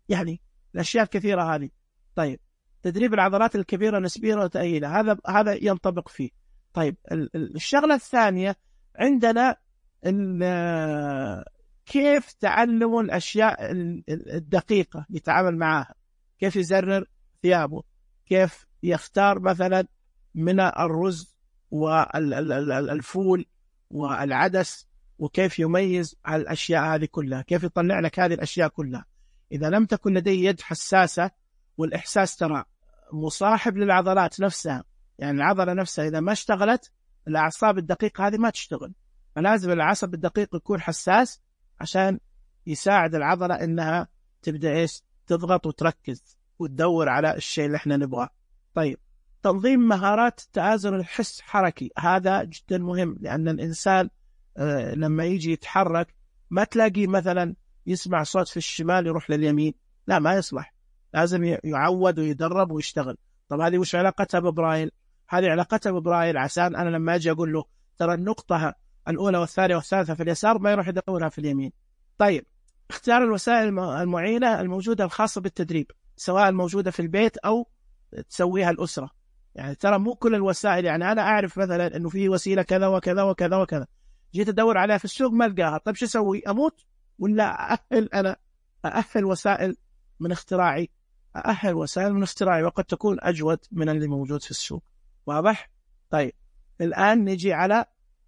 يعني الأشياء الكثيرة هذه. طيب، تدريب العضلات الكبيرة نسبيا وتأهيلها، هذا هذا ينطبق فيه. طيب، الشغلة الثانية عندنا كيف تعلم الأشياء الدقيقة يتعامل معها، كيف يزرر ثيابه، كيف يختار مثلا من الرز والفول والعدس، وكيف يميز على الأشياء هذه كلها، كيف يطلع لك هذه الأشياء كلها. إذا لم تكن لديه يد حساسة، والإحساس ترى مصاحب للعضلات نفسها، يعني العضلة نفسها إذا ما اشتغلت الأعصاب الدقيقة هذه ما تشتغل، فلازم العصب الدقيق يكون حساس عشان يساعد العضلة إنها تبدأ إيش تضغط وتركز وتدور على الشيء اللي إحنا نبغاه. طيب، تنظيم مهارات التوازن الحس حركي، هذا جدا مهم، لأن الإنسان آه لما يجي يتحرك ما تلاقي مثلا يسمع صوت في الشمال يروح لليمين، لا، ما يصلح، لازم يعود ويدرب ويشتغل. طب هذه وش علاقتها ببرايل؟ هذه علاقتها ببرايل عشان أنا لما أجي أقول له ترى النقطة الأولى والثانية والثالثة في اليسار ما يروح يدورها في اليمين. طيب، اختيار الوسائل المعينة الموجودة الخاصة بالتدريب، سواء الموجودة في البيت أو تسويها الأسرة. يعني ترى مو كل الوسائل، يعني أنا أعرف مثلا أنه في وسيلة كذا وكذا وكذا وكذا، جيت أدور عليها في السوق ما ألقاها. طيب شو أسوي؟ أموت ولا أأهل أنا أأهل وسائل من اختراعي، أأهل وسائل من اختراعي، وقد تكون أجود من اللي موجود في السوق. واضح؟ طيب، الآن نجي على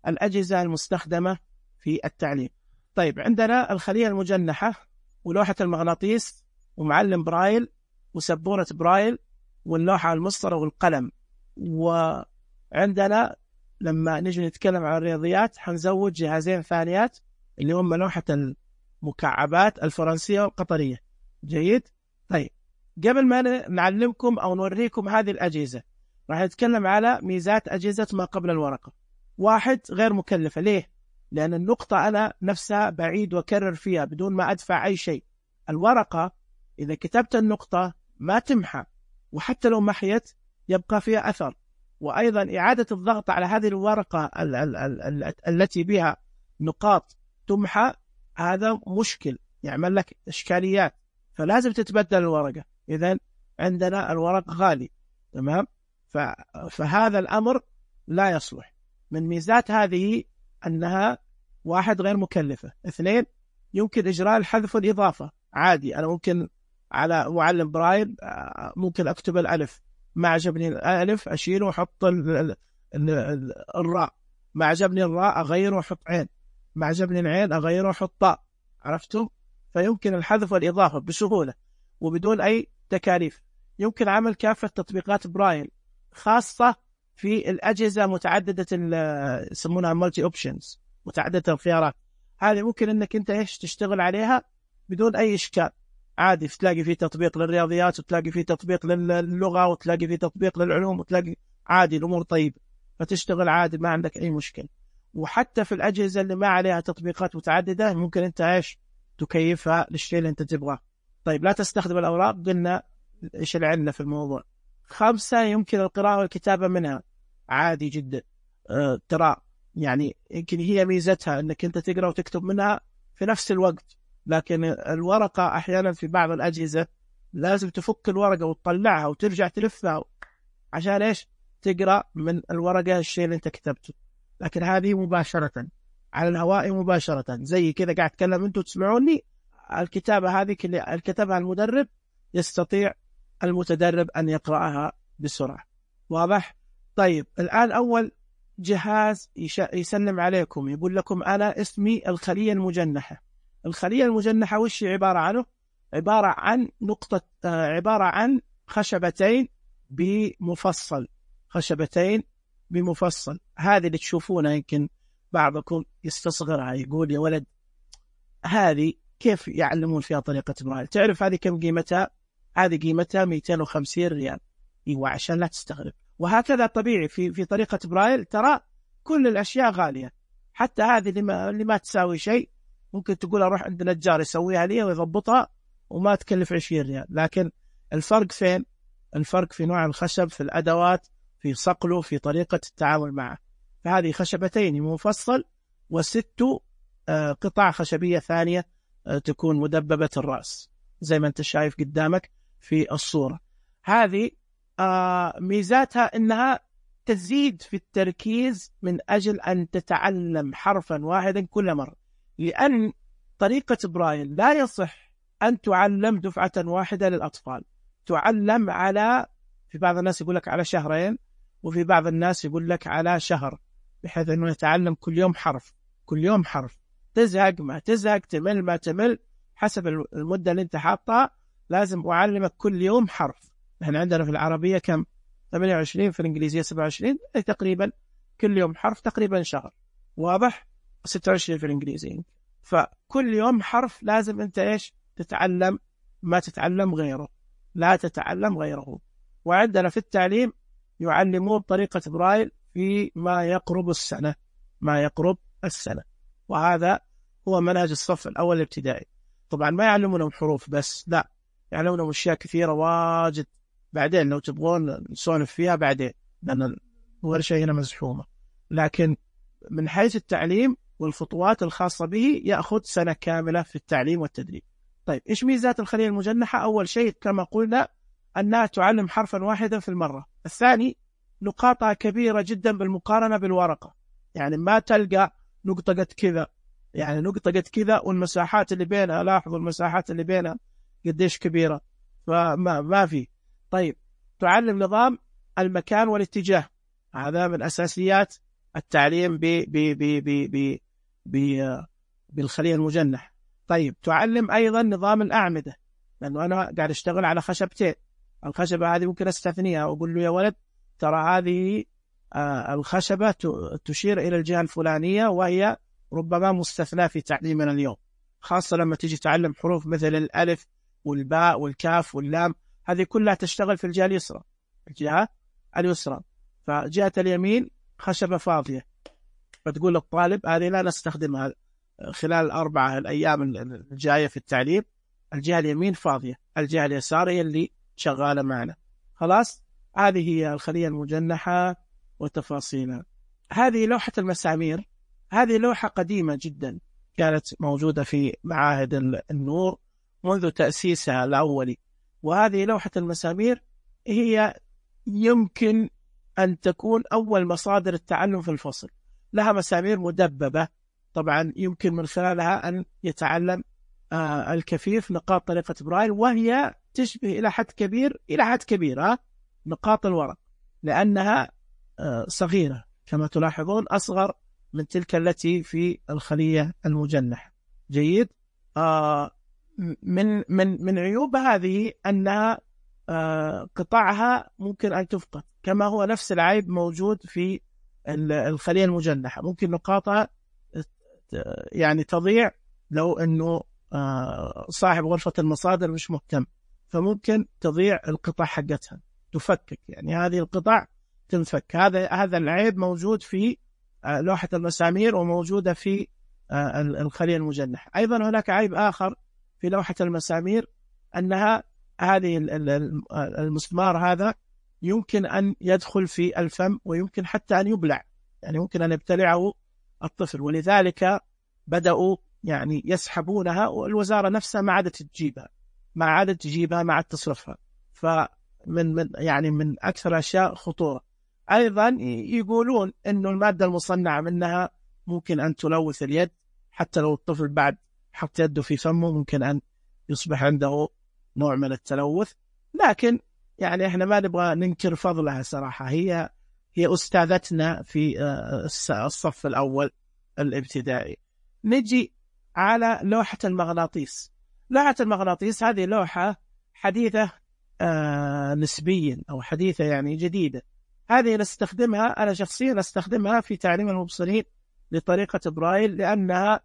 الأجهزة المستخدمة في التعليم. طيب، عندنا الخلية المجنحة ولوحة المغناطيس ومعلم برايل وسبورة برايل واللوحة المسطرة والقلم. وعندنا لما نجي نتكلم عن الرياضيات حنزود جهازين ثانيات اللي هم لوحة المكعبات الفرنسية والقطرية. جيد؟ طيب، قبل ما نعلمكم أو نوريكم هذه الأجهزة راح نتكلم على ميزات أجهزة ما قبل الورقة. واحد، غير مكلفة. ليه؟ لأن النقطة أنا نفسها بعيد وكرر فيها بدون ما أدفع أي شيء. الورقة إذا كتبت النقطة ما تمحى، وحتى لو محيت يبقى فيها أثر. وأيضا إعادة الضغط على هذه الورقة ال ال ال ال التي بها نقاط تمحى، هذا مشكل، يعمل لك إشكاليات، فلازم تتبدل الورقة. إذن عندنا الورق غالي. تمام. فهذا الأمر لا يصلح. من ميزات هذه أنها واحد غير مكلفة، اثنين يمكن إجراء الحذف والإضافة عادي. أنا ممكن على معلم برايل ممكن أكتب الألف، ما عجبني الألف أشيله وأحط الراء، ما عجبني الراء أغيره وأحط عين، ما عجبني العين أغيره وأحط طاء. عرفتم؟ فيمكن الحذف والإضافة بسهولة وبدون أي تكاليف. يمكن عمل كافة تطبيقات برايل خاصة في الأجهزة متعددة يسمونها مالتي أوبشنز، متعددة الخيارات. هذه ممكن أنك أنت إيش تشتغل عليها بدون أي إشكال عادي. تلاقي فيه تطبيق للرياضيات، وتلاقي فيه تطبيق للغة، وتلاقي فيه تطبيق للعلوم، وتلاقي عادي الأمور طيبة، فتشتغل عادي ما عندك أي مشكلة. وحتى في الأجهزة اللي ما عليها تطبيقات متعددة ممكن أنت إيش تكيفها للشيء اللي أنت تبغاه. طيب لا تستخدم الأوراق، قلنا إيش العلة في الموضوع. خمسة يمكن القراءة والكتابة منها عادي جدا. أه ترى يعني يمكن هي ميزتها أنك أنت تقرأ وتكتب منها في نفس الوقت، لكن الورقة أحيانا في بعض الأجهزة لازم تفك الورقة وتطلعها وترجع تلفها عشان إيش تقرأ من الورقة الشيء اللي أنت كتبته. لكن هذه مباشرة على الهواء مباشرة، زي كذا قاعد أتكلم أنتوا تسمعوني. الكتابة هذه اللي كتبها المدرب يستطيع المتدرب أن يقرأها بسرعة. واضح؟ طيب الآن أول جهاز يسلم عليكم يقول لكم أنا اسمي الخلية المجنحة. الخلية المجنحة وش عبارة عنه؟ عبارة عن نقطة آه عبارة عن خشبتين بمفصل، خشبتين بمفصل. هذه اللي تشوفونها يمكن بعضكم يستصغرها، يقول يا ولد هذه كيف يعلمون فيها طريقة برايل؟ تعرف هذه كم قيمتها؟ هذه قيمتها مئتين وخمسين ريال. ايوه عشان لا تستغرب. وهكذا طبيعي في في طريقة برايل، ترى كل الأشياء غالية، حتى هذه اللي ما, اللي ما تساوي شيء ممكن تقول أروح عند نجار يسويها لي ويضبطها وما تكلف عشرين ريال. لكن الفرق فين؟ الفرق في نوع الخشب، في الأدوات، في صقله، في طريقة التعامل معه. فهذه خشبتين مفصل وست قطع خشبية ثانية تكون مدببة الرأس زي ما أنت شايف قدامك في الصورة. هذه ميزاتها أنها تزيد في التركيز من أجل أن تتعلم حرفا واحدا كل مرة، لأن طريقة برايل لا يصح أن تعلم دفعة واحدة للأطفال. تعلم على، في بعض الناس يقول لك على شهرين، وفي بعض الناس يقول لك على شهر، بحيث أنه يتعلم كل يوم حرف، كل يوم حرف. تزهق ما تزهق، تمل ما تمل، حسب المدة اللي انت حاطها. لازم أعلمك كل يوم حرف. نحن عندنا في العربية كم؟ ثمانية وعشرين، في الإنجليزية سبعة وعشرين، تقريبا كل يوم حرف، تقريبا شهر. واضح؟ ستة وعشرين في الإنجليزية. فكل يوم حرف لازم انت ايش تتعلم، ما تتعلم غيره، لا تتعلم غيره. وعندنا في التعليم يعلمون طريقة برايل في ما يقرب السنة، ما يقرب السنة. وهذا هو منهج الصف الأول الابتدائي. طبعا ما يعلمونهم حروف بس، لا، يعلمونهم أشياء كثيرة واجد. بعدين لو تبغون نسولف فيها بعدين، لأن الورشة هنا مزحومة. لكن من حيث التعليم والخطوات الخاصة به يأخذ سنة كاملة في التعليم والتدريب. طيب إيش ميزات الخلية المجنحة؟ أول شيء كما قلنا أنها تعلم حرفا واحدا في المرة. الثاني نقاطها كبيرة جدا بالمقارنة بالورقة، يعني ما تلقى نقطة قد كذا، يعني نقطة قد كذا والمساحات اللي بينها، لاحظوا المساحات اللي بينها قديش كبيرة، فما ما في. طيب تعلم نظام المكان والاتجاه، هذا من أساسيات التعليم ب ب ب ب ب ب بالخلية المجنح. طيب تعلم أيضا نظام الأعمدة، لأنه أنا قاعد أشتغل على خشبتين، الخشبة هذه ممكن أستثنيها وأقول له يا ولد ترى هذه آه الخشبة تشير إلى الجهة الفلانية، وهي ربما مستثنى في تعليمنا اليوم، خاصة لما تيجي تعلم حروف مثل الألف والباء والكاف واللام، هذه كلها تشتغل في الجهة اليسرى، الجهة اليسرى. فجهة اليمين خشبة فاضية، فتقول للطالب هذه لا نستخدمها خلال الأربعة الأيام الجاية في التعليم، الجهة اليمين فاضية، الجهة اليسار هي اللي شغالة معنا. خلاص، هذه هي الخلية المجنحة وتفاصيلها. هذه لوحة المسامير، هذه لوحة قديمة جدا، كانت موجودة في معاهد النور منذ تأسيسها الأولي، وهذه لوحة المسامير هي يمكن أن تكون أول مصادر التعلم في الفصل. لها مسامير مدببة طبعا يمكن من خلالها أن يتعلم آه الكفيف نقاط طريقة برايل، وهي تشبه إلى حد كبير إلى حد كبير آه نقاط الورق، لأنها آه صغيرة كما تلاحظون، أصغر من تلك التي في الخلية المجنحة. جيد. آه من من من عيوب هذه أنها آه قطعها ممكن أن تفقد، كما هو نفس العيب موجود في الخلية المجنحة. ممكن نقاطها يعني تضيع لو أنه آه صاحب غرفة المصادر مش مهتم، فممكن تضيع القطع حقتها، تفكك، يعني هذه القطع تنفك. هذا هذا العيب موجود في آه لوحة المسامير وموجودة في آه الخلية المجنحة. أيضا هناك عيب آخر في لوحة المسامير، أنها هذه المسمار هذا يمكن أن يدخل في الفم ويمكن حتى أن يبلع، يعني ممكن أن يبتلعه الطفل، ولذلك بدأوا يعني يسحبونها، والوزارة نفسها ما عادت تجيبها ما عادت تجيبها ما عادت تصرفها. فمن من يعني من أكثر الأشياء خطورة. أيضا يقولون إنه المادة المصنعة منها ممكن أن تلوث اليد، حتى لو الطفل بعد حط يده في فمه ممكن أن يصبح عنده نوع من التلوث. لكن يعني احنا ما نبغى ننكر فضلها صراحة، هي هي أستاذتنا في الصف الأول الابتدائي. نجي على لوحة المغناطيس. لوحة المغناطيس هذه لوحة حديثة آه نسبيا، أو حديثة يعني جديدة. هذه نستخدمها، أنا شخصيا أستخدمها في تعليم المبصرين لطريقة برايل، لأنها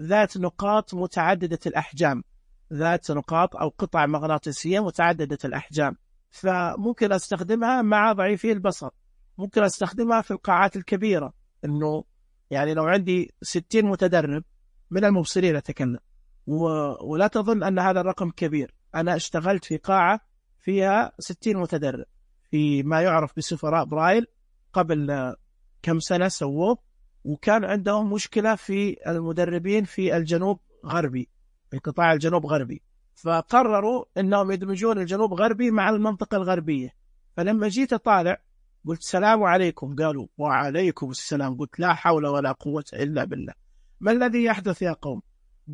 ذات نقاط متعددة الأحجام، ذات نقاط أو قطع مغناطيسية متعددة الأحجام، فممكن أستخدمها مع ضعيفي البصر. ممكن أستخدمها في القاعات الكبيرة، إنه يعني لو عندي ستين متدرب من المبصرين أتكلم، و... ولا تظن أن هذا الرقم كبير. أنا اشتغلت في قاعة فيها ستين متدرب في ما يعرف بسفراء برايل قبل كم سنة سووه، وكان عندهم مشكلة في المدربين في الجنوب غربي، في قطاع الجنوب غربي، فقرروا أنهم يدمجون الجنوب غربي مع المنطقة الغربية. فلما جيت أطالع قلت السلام عليكم، قالوا وعليكم السلام. قلت لا حول ولا قوة إلا بالله، ما الذي يحدث يا قوم؟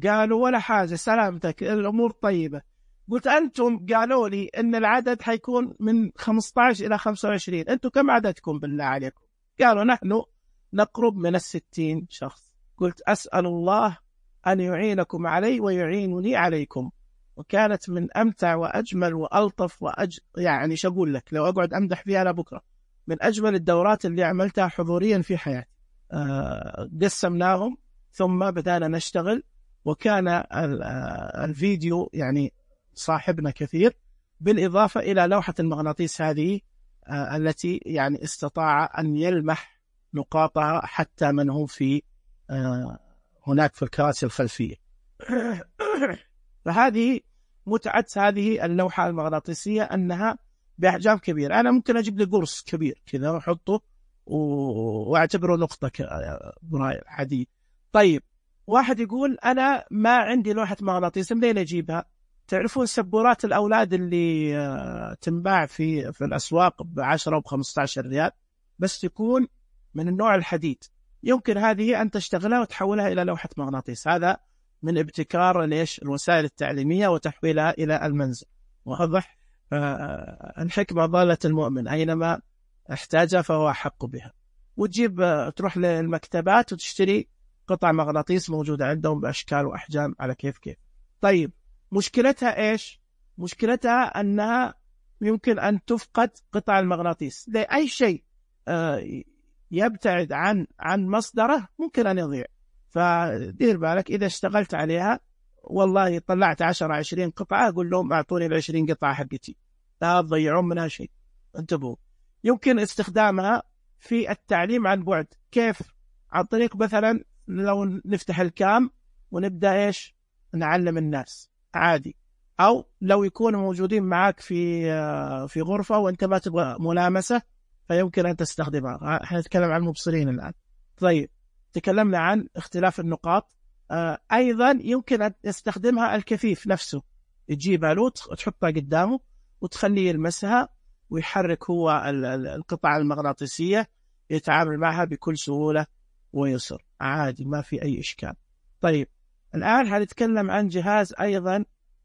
قالوا ولا حاجة سلامتك الأمور طيبة. قلت أنتم قالوا لي أن العدد حيكون من خمسة عشر إلى خمسة وعشرين، أنتم كم عددكم بالله عليكم؟ قالوا نحن نقرب من الستين شخص. قلت أسأل الله أن يعينكم علي ويعينني عليكم. وكانت من أمتع وأجمل وألطف وأج... يعني شقول لك لو أقعد أمدح فيها لبكرة، من أجمل الدورات اللي عملتها حضوريا في حياتي. آه قسمناهم ثم بدأنا نشتغل، وكان الفيديو يعني صاحبنا كثير، بالإضافة إلى لوحة المغناطيس هذه آه التي يعني استطاع أن يلمح نقاطها حتى من هو في آه هناك في الكراسي الخلفية. فهذه متعة هذه اللوحة المغناطيسية أنها بأحجام كبيرة. أنا ممكن أجيب لي قرص كبير كذا وأحطه وأعتبره نقطة برايل حديد. طيب واحد يقول أنا ما عندي لوحة مغناطيس، منين أجيبها؟ تعرفون سبورات الأولاد اللي تنباع في في الأسواق بعشرة وبخمسة عشر ريال، بس تكون من النوع الحديد. يمكن هذه أن تشتغلها وتحولها إلى لوحة مغناطيس. هذا من ابتكار ليش الوسائل التعليمية وتحويلها إلى المنزل. واضح؟ الحكمة ضالة المؤمن، أينما احتاجها فهو أحق بها. وتجيب تروح للمكتبات وتشتري قطع مغناطيس موجودة عندهم بأشكال وأحجام على كيف كيف. طيب مشكلتها إيش؟ مشكلتها أنها يمكن أن تفقد قطع المغناطيس لأي شيء يبتعد عن عن مصدره ممكن أن يضيع. فدير بالك إذا اشتغلت عليها، والله طلعت عشرة عشرين قطعة أقول لهم أعطوني العشرين قطعة حقتي، لا تضيعون منها شيء. انتبهوا. يمكن استخدامها في التعليم عن بعد. كيف؟ عن طريق مثلا لو نفتح الكام ونبدأ إيش نعلم الناس عادي، أو لو يكونوا موجودين معك في في غرفة وأنت ما تبغى ملامسة فيمكن أن تستخدمها. احنا نتكلم عن المبصرين الآن. طيب تكلمنا عن اختلاف النقاط. آه أيضا يمكن أن يستخدمها الكفيف نفسه، تجيبها له تحطها قدامه وتخليه يلمسها ويحرك هو القطع المغناطيسية، يتعامل معها بكل سهولة ويسر عادي، ما في أي إشكال. طيب الآن هنتكلم عن جهاز أيضا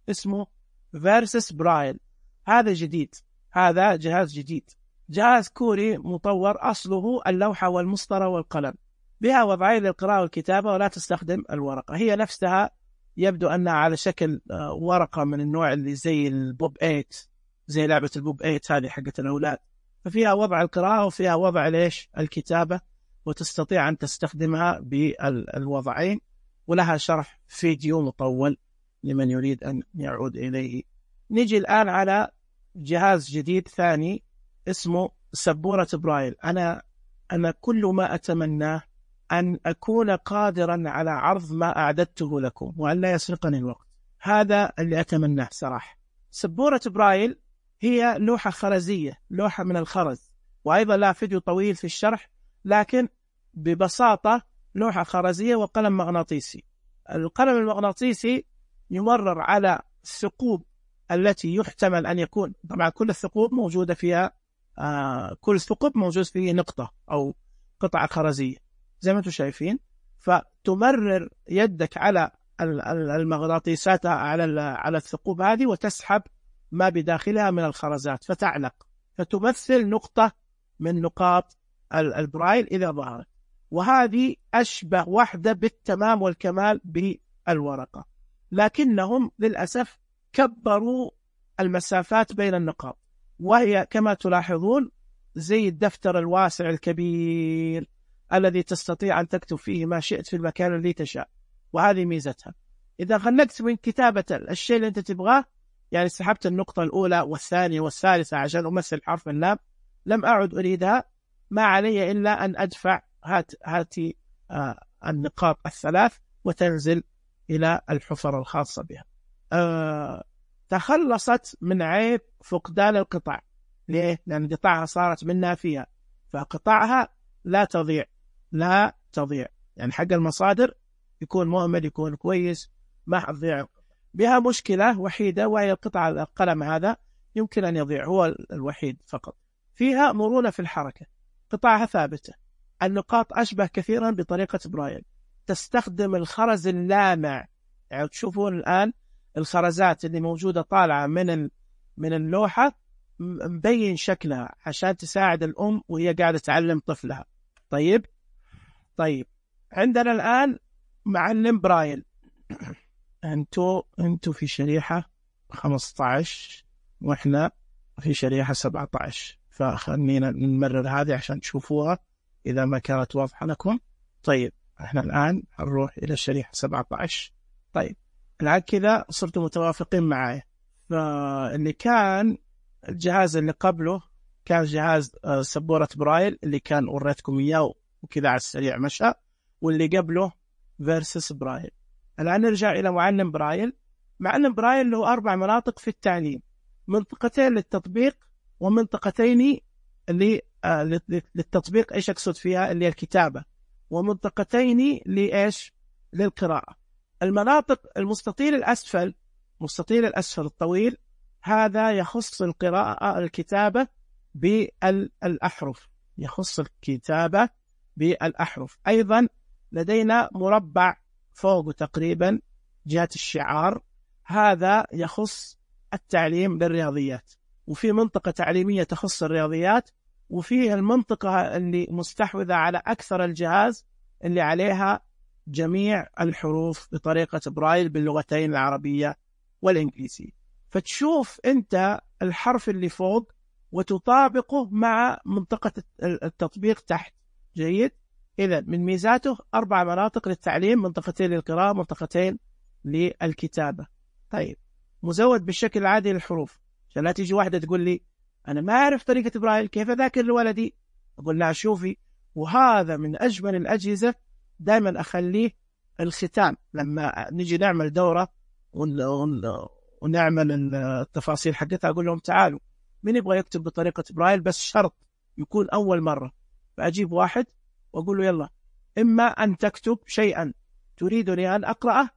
اسمه فيرسس برايل. هذا جديد، هذا جهاز جديد، جهاز كوري مطور، أصله اللوحة والمسطرة والقلم، بها وضعين للقراءة والكتابة ولا تستخدم الورقة. هي نفسها يبدو أنها على شكل ورقة من النوع اللي زي البوب ايت، زي لعبة البوب ايت هذه حقت الأولاد، ففيها وضع القراءة وفيها وضع ليش الكتابة، وتستطيع أن تستخدمها بالوضعين، ولها شرح فيديو مطول لمن يريد أن يعود إليه. نجي الآن على جهاز جديد ثاني اسمه سبورة برايل. أنا أنا كل ما أتمناه أن أكون قادرا على عرض ما أعددته لكم وأن لا يسرقني الوقت، هذا اللي أتمناه صراحة. سبورة برايل هي لوحة خرزية، لوحة من الخرز، وأيضا لا فيديو طويل في الشرح، لكن ببساطة لوحة خرزية وقلم مغناطيسي. القلم المغناطيسي يمرر على الثقوب التي يحتمل أن يكون، طبعا كل الثقوب موجودة فيها آه كل ثقب موجود فيه نقطة أو قطعة خرزية زي ما انتم شايفين، فتمرر يدك على المغناطيسات على على الثقوب هذه وتسحب ما بداخلها من الخرزات فتعلق، فتمثل نقطة من نقاط البرايل إذا ظهرت. وهذه أشبه وحدة بالتمام والكمال بالورقة، لكنهم للأسف كبروا المسافات بين النقاط، وهي كما تلاحظون زي الدفتر الواسع الكبير الذي تستطيع أن تكتب فيه ما شئت في المكان اللي تشاء، وهذه ميزتها. إذا خلقت من كتابة الشيء اللي أنت تبغاه، يعني سحبت النقطة الأولى والثانية والثالثة عشان أمثل حرف اللام، لم أعد أريدها، ما علي إلا أن أدفع هات هاتي آه النقاط الثلاث وتنزل إلى الحفر الخاصة بها. آه تخلصت من عيب فقدان القطع. ليه؟ لأن قطعها صارت منها فيها، فقطعها لا تضيع لا تضيع يعني حق المصادر يكون مؤمن، يكون كويس، ما حتضيع. بها مشكلة وحيدة، وهي القطعة القلم هذا يمكن أن يضيع، هو الوحيد فقط. فيها مرونة في الحركة، قطعها ثابتة. النقاط أشبه كثيرا بطريقة برايل، تستخدم الخرز اللامع. يعني تشوفون الآن الخرزات اللي موجودة طالعة من من اللوحة مبين شكلها عشان تساعد الأم وهي قاعدة تعلم طفلها. طيب طيب عندنا الآن معلم برايل. أنتوا أنتوا في شريحة خمسة عشر وإحنا في شريحة سبعة عشر، فخلينا نمرر هذه عشان تشوفوها إذا ما كانت واضحة لكم. طيب إحنا الآن هنروح إلى الشريحة سبعة عشر. طيب الآن كذا صرتوا متوافقين معايا. فاللي كان الجهاز اللي قبله كان جهاز سبورة برايل اللي كان وريتكم إياه وكذا على السريع مشى، واللي قبله فيرسس برايل. الآن نرجع إلى معلم برايل. معلم برايل له أربع مناطق في التعليم، منطقتين للتطبيق ومنطقتين اللي آه للتطبيق إيش أقصد فيها اللي الكتابة، ومنطقتين لإيش للقراءة. المناطق المستطيل الأسفل، مستطيل الأسفل الطويل هذا يخص القراءة الكتابة بالأحرف، يخص الكتابة بالأحرف. أيضا لدينا مربع فوق تقريبا جهة الشعار، هذا يخص التعليم للرياضيات. وفي منطقة تعليمية تخص الرياضيات، وفي المنطقة اللي مستحوذة على أكثر الجهاز اللي عليها جميع الحروف بطريقة برايل باللغتين العربية والإنجليزية. فتشوف أنت الحرف اللي فوق وتطابقه مع منطقة التطبيق تحت. جيد. إذا من ميزاته أربع مناطق للتعليم، منطقتين للقراءة، منطقتين للكتابة. طيب مزود بالشكل العادي للحروف، عشان لا تيجي واحدة تقول لي أنا ما أعرف طريقة برايل كيف أذاكر لولدي. أقول لها شوفي، وهذا من أجمل الأجهزة دائما أخليه الختام لما نجي نعمل دورة ونعمل التفاصيل حقتها. أقول لهم تعالوا مين يبغى يكتب بطريقة برايل، بس شرط يكون أول مرة. فأجيب واحد وأقول له يلا، إما أن تكتب شيئا تريدني أن أقرأه،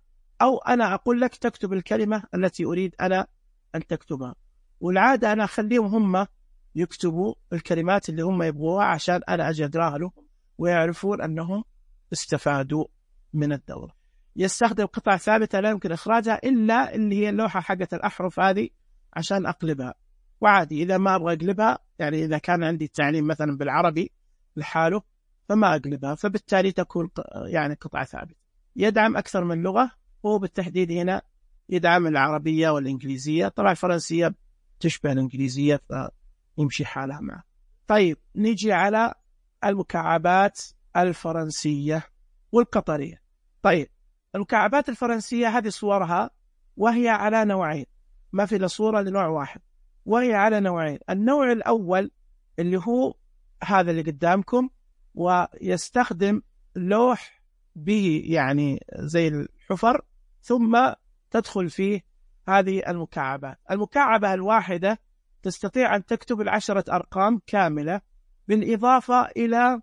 أو أنا أقول لك تكتب الكلمة التي أريد أنا أن تكتبها. والعادة أنا أخليهم هم يكتبوا الكلمات اللي هم يبغوها عشان أنا أجي أقراها لهم ويعرفون أنهم استفادوا من الدورة. يستخدم قطع ثابتة لا يمكن إخراجها إلا اللي هي اللوحة حقة الأحرف هذه عشان أقلبها، وعادي إذا ما أبغى أقلبها، يعني إذا كان عندي التعليم مثلا بالعربي لحاله فما أقلبها، فبالتالي تكون يعني قطعة ثابتة. يدعم أكثر من لغة، هو بالتحديد هنا يدعم العربية والإنجليزية، طبعا الفرنسية تشبه الإنجليزية فيمشي حالها معه. طيب نيجي على المكعبات الفرنسية والقطرية. طيب المكعبات الفرنسية هذه صورها وهي على نوعين، ما في صورة لنوع واحد، وهي على نوعين. النوع الأول اللي هو هذا اللي قدامكم، ويستخدم لوح به يعني زي الحفر، ثم تدخل فيه هذه المكعبات. المكعبة الواحدة تستطيع أن تكتب العشرة أرقام كاملة، بالإضافة إلى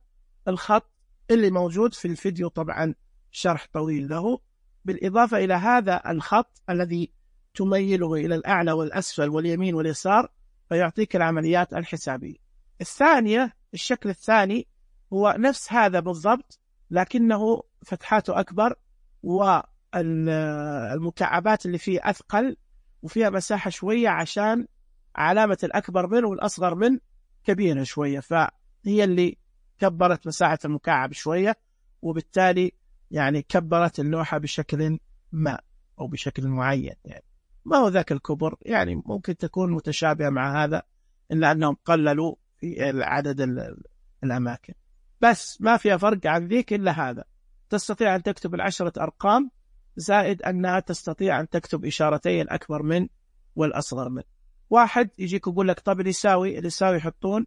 الخط اللي موجود في الفيديو، طبعا شرح طويل له، بالإضافة إلى هذا الخط الذي تميله إلى الأعلى والأسفل واليمين واليسار، فيعطيك العمليات الحسابية. الثانية، الشكل الثاني هو نفس هذا بالضبط، لكنه فتحاته أكبر، والمكعبات اللي فيه أثقل، وفيها مساحة شوية عشان علامة الأكبر منه والأصغر منه كبيرة شوية، فهي اللي كبرت مساحة المكعب شوية، وبالتالي يعني كبرت اللوحة بشكل ما أو بشكل معين. يعني ما هو ذاك الكبر، يعني ممكن تكون متشابهة مع هذا، إلا أنهم قللوا في عدد الأماكن، بس ما فيها فرق عن ذيك إلا هذا. تستطيع أن تكتب العشرة أرقام، زائد أنها تستطيع أن تكتب إشارتين الأكبر من والأصغر من. واحد يجيك يقول لك طب اللي يساوي اللي يساوي يحطون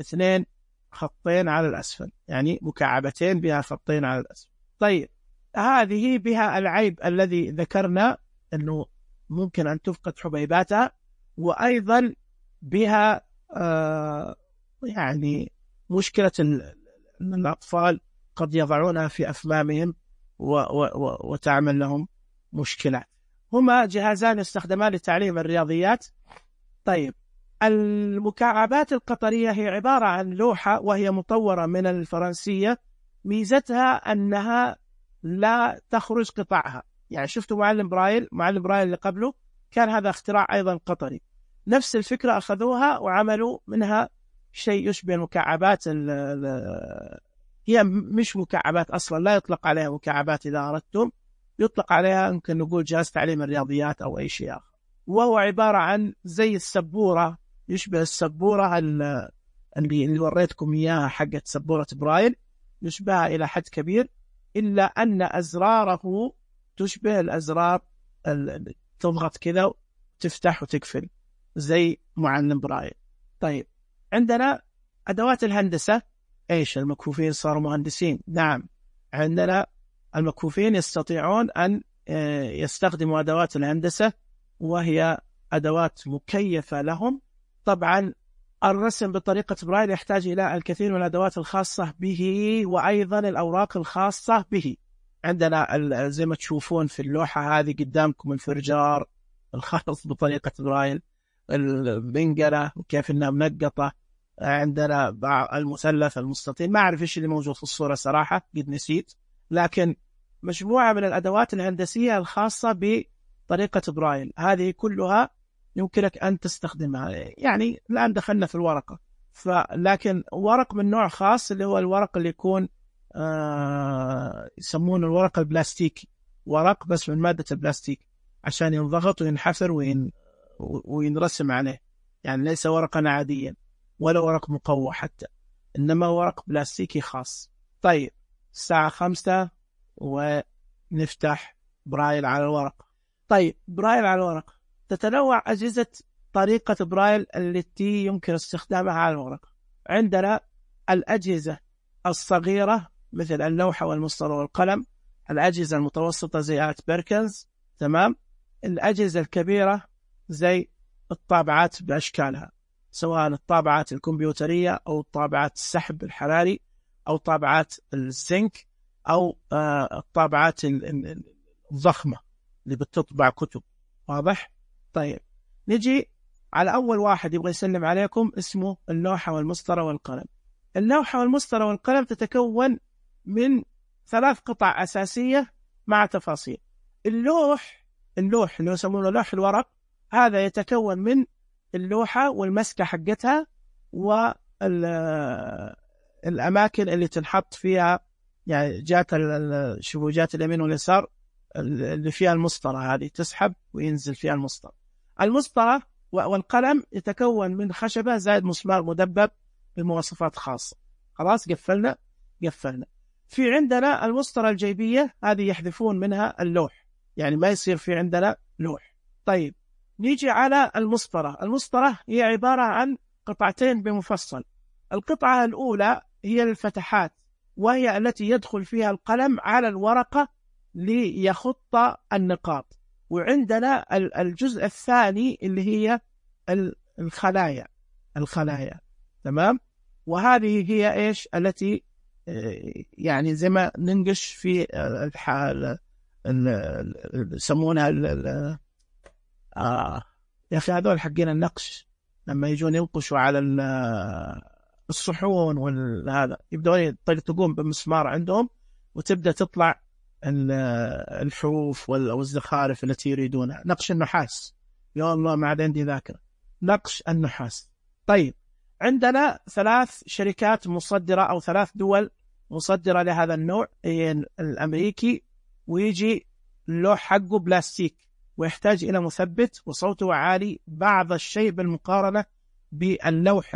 اثنين خطين على الأسفل، يعني مكعبتين بها خطين على الأسفل. طيب هذه بها العيب الذي ذكرنا، أنه ممكن أن تفقد حبيباتها، وأيضا بها آه يعني مشكلة أن الأطفال قد يضعونها في أفمامهم و و و وتعمل لهم مشكلة. هما جهازان يستخدمان لتعليم الرياضيات. طيب المكعبات القطرية هي عبارة عن لوحة وهي مطورة من الفرنسية، ميزتها أنها لا تخرج قطعها. يعني شفتوا معلم برايل، معلم برايل اللي قبله كان هذا اختراع أيضا قطري، نفس الفكرة أخذوها وعملوا منها شيء يشبه المكعبات. هي مش مكعبات أصلا، لا يطلق عليها مكعبات إذا أردتم، يطلق عليها يمكن نقول جهاز تعليم الرياضيات أو أي شيء آخر، وهو عبارة عن زي السبورة، يشبه السبورة اللي, اللي وريتكم إياها حقت سبورة برايل، يشبهها إلى حد كبير، إلا أن أزراره تشبه الأزرار اللي تضغط كذا وتفتح وتقفل زي معلم برايل. طيب عندنا أدوات الهندسة. إيش المكفوفين صاروا مهندسين؟ نعم، عندنا المكفوفين يستطيعون أن يستخدموا أدوات الهندسة، وهي أدوات مكيفة لهم. طبعا الرسم بطريقة برايل يحتاج إلى الكثير من الأدوات الخاصة به، وأيضا الأوراق الخاصة به. عندنا زي ما تشوفون في اللوحة هذه قدامكم الفرجار الخاص بطريقة برايل، البنقلة وكيف إنها منقطة، عندنا المثلث، المستطيل، ما أعرف إيش اللي موجود في الصورة صراحة، قد نسيت، لكن مجموعة من الأدوات الهندسية الخاصة بطريقة برايل، هذه كلها يمكنك أن تستخدمها. يعني الآن دخلنا في الورقة، فلكن ورق من نوع خاص اللي هو الورق اللي يكون آه يسمونه الورق البلاستيكي، ورق بس من مادة البلاستيك عشان ينضغط وينحفر وين وينرسم عليه، يعني ليس ورقا عاديا ولا ورق مقوى حتى، إنما ورق بلاستيكي خاص. طيب الساعة خمسة ونفتح برايل على الورق. طيب برايل على الورق، تتنوع أجهزة طريقة برايل التي يمكن استخدامها على الورق. عندنا الأجهزة الصغيرة مثل اللوحة والمسطرة والقلم، الأجهزة المتوسطة زي آلة بيركنز، تمام، الأجهزة الكبيرة زي الطابعات بأشكالها، سواء الطابعات الكمبيوترية أو الطابعات السحب الحراري أو طابعات الزنك أو آه الطابعات الضخمة اللي بتطبع كتب. واضح؟ طيب نجي على أول واحد يبغى يسلم عليكم اسمه اللوحة والمسطرة والقلم. اللوحة والمسطرة والقلم تتكون من ثلاث قطع أساسية مع تفاصيل. اللوح اللوح اللي يسمونه لوح الورق، هذا يتكون من اللوحة والمسكة حقتها والأماكن اللي تنحط فيها، يعني جات شوفوا جات اليمين واليسار اللي فيها المسطرة، هذه تسحب وينزل فيها المسطرة. المسطرة والقلم يتكون من خشبة زائد مسمار مدبب بمواصفات خاصة. خلاص قفلنا قفلنا في عندنا المسطرة الجيبية، هذه يحذفون منها اللوح، يعني ما يصير في عندنا لوح. طيب نيجي على المسطرة. المسطرة هي عبارة عن قطعتين بمفصل. القطعة الأولى هي الفتحات، وهي التي يدخل فيها القلم على الورقة ليخط النقاط. وعندنا الجزء الثاني اللي هي الخلايا الخلايا تمام. وهذه هي إيش التي يعني زي ما ننقش في الحال يسمونها آه يا أخي هذول حقين النقش، لما يجون ينقشوا على الصحون والهذا يبدأون يطقطقون بمسمار عندهم وتبدأ تطلع الحروف والزخارف التي يريدونها. نقش النحاس، يا الله ما عاد عندي ذاكرة، نقش النحاس. طيب عندنا ثلاث شركات مصدرة أو ثلاث دول مصدرة لهذا النوع، الأمريكي، ويجي اللوح حقه بلاستيك ويحتاج إلى مثبت وصوته عالي بعض الشيء بالمقارنة باللوح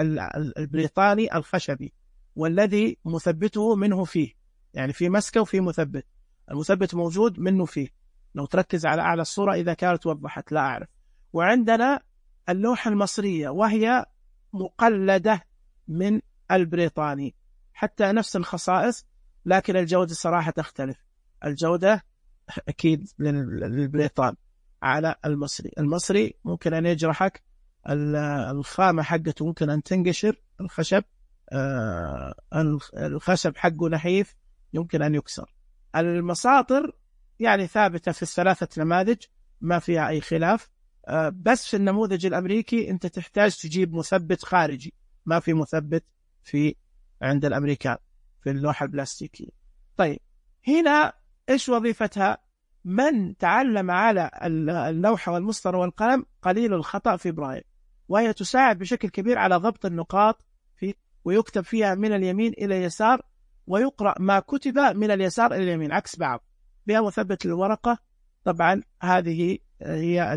البريطاني الخشبي، والذي مثبته منه فيه، يعني في مسكة وفي مثبت. المثبت موجود منه فيه، لو تركز على أعلى الصورة إذا كانت وضحت لا أعرف. وعندنا اللوحة المصرية وهي مقلدة من البريطاني، حتى نفس الخصائص، لكن الجودة صراحة تختلف. الجودة أكيد للبريطان على المصري. المصري ممكن أن يجرحك، الخامة حقته ممكن أن تنقشر، الخشب آه الخشب حقه نحيف يمكن أن يكسر. المساطر يعني ثابتة في الثلاثة نماذج ما فيها أي خلاف، آه بس في النموذج الأمريكي أنت تحتاج تجيب مثبت خارجي، ما في مثبت في عند الأمريكان في اللوحة البلاستيكية. طيب هنا إيش وظيفتها؟ من تعلم على اللوحة والمسطرة والقلم قليل الخطأ في برايل، وهي تساعد بشكل كبير على ضبط النقاط في، ويكتب فيها من اليمين إلى اليسار، ويقرأ ما كتب من اليسار إلى اليمين عكس بعض، بها مثبت الورقة. طبعا هذه هي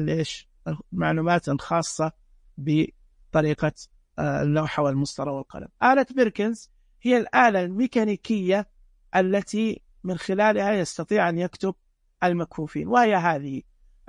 المعلومات الخاصة بطريقة اللوحة والمسطرة والقلم. آلة بيركنز هي الآلة الميكانيكية التي من خلالها يستطيع أن يكتب المكفوفين، وهي هذه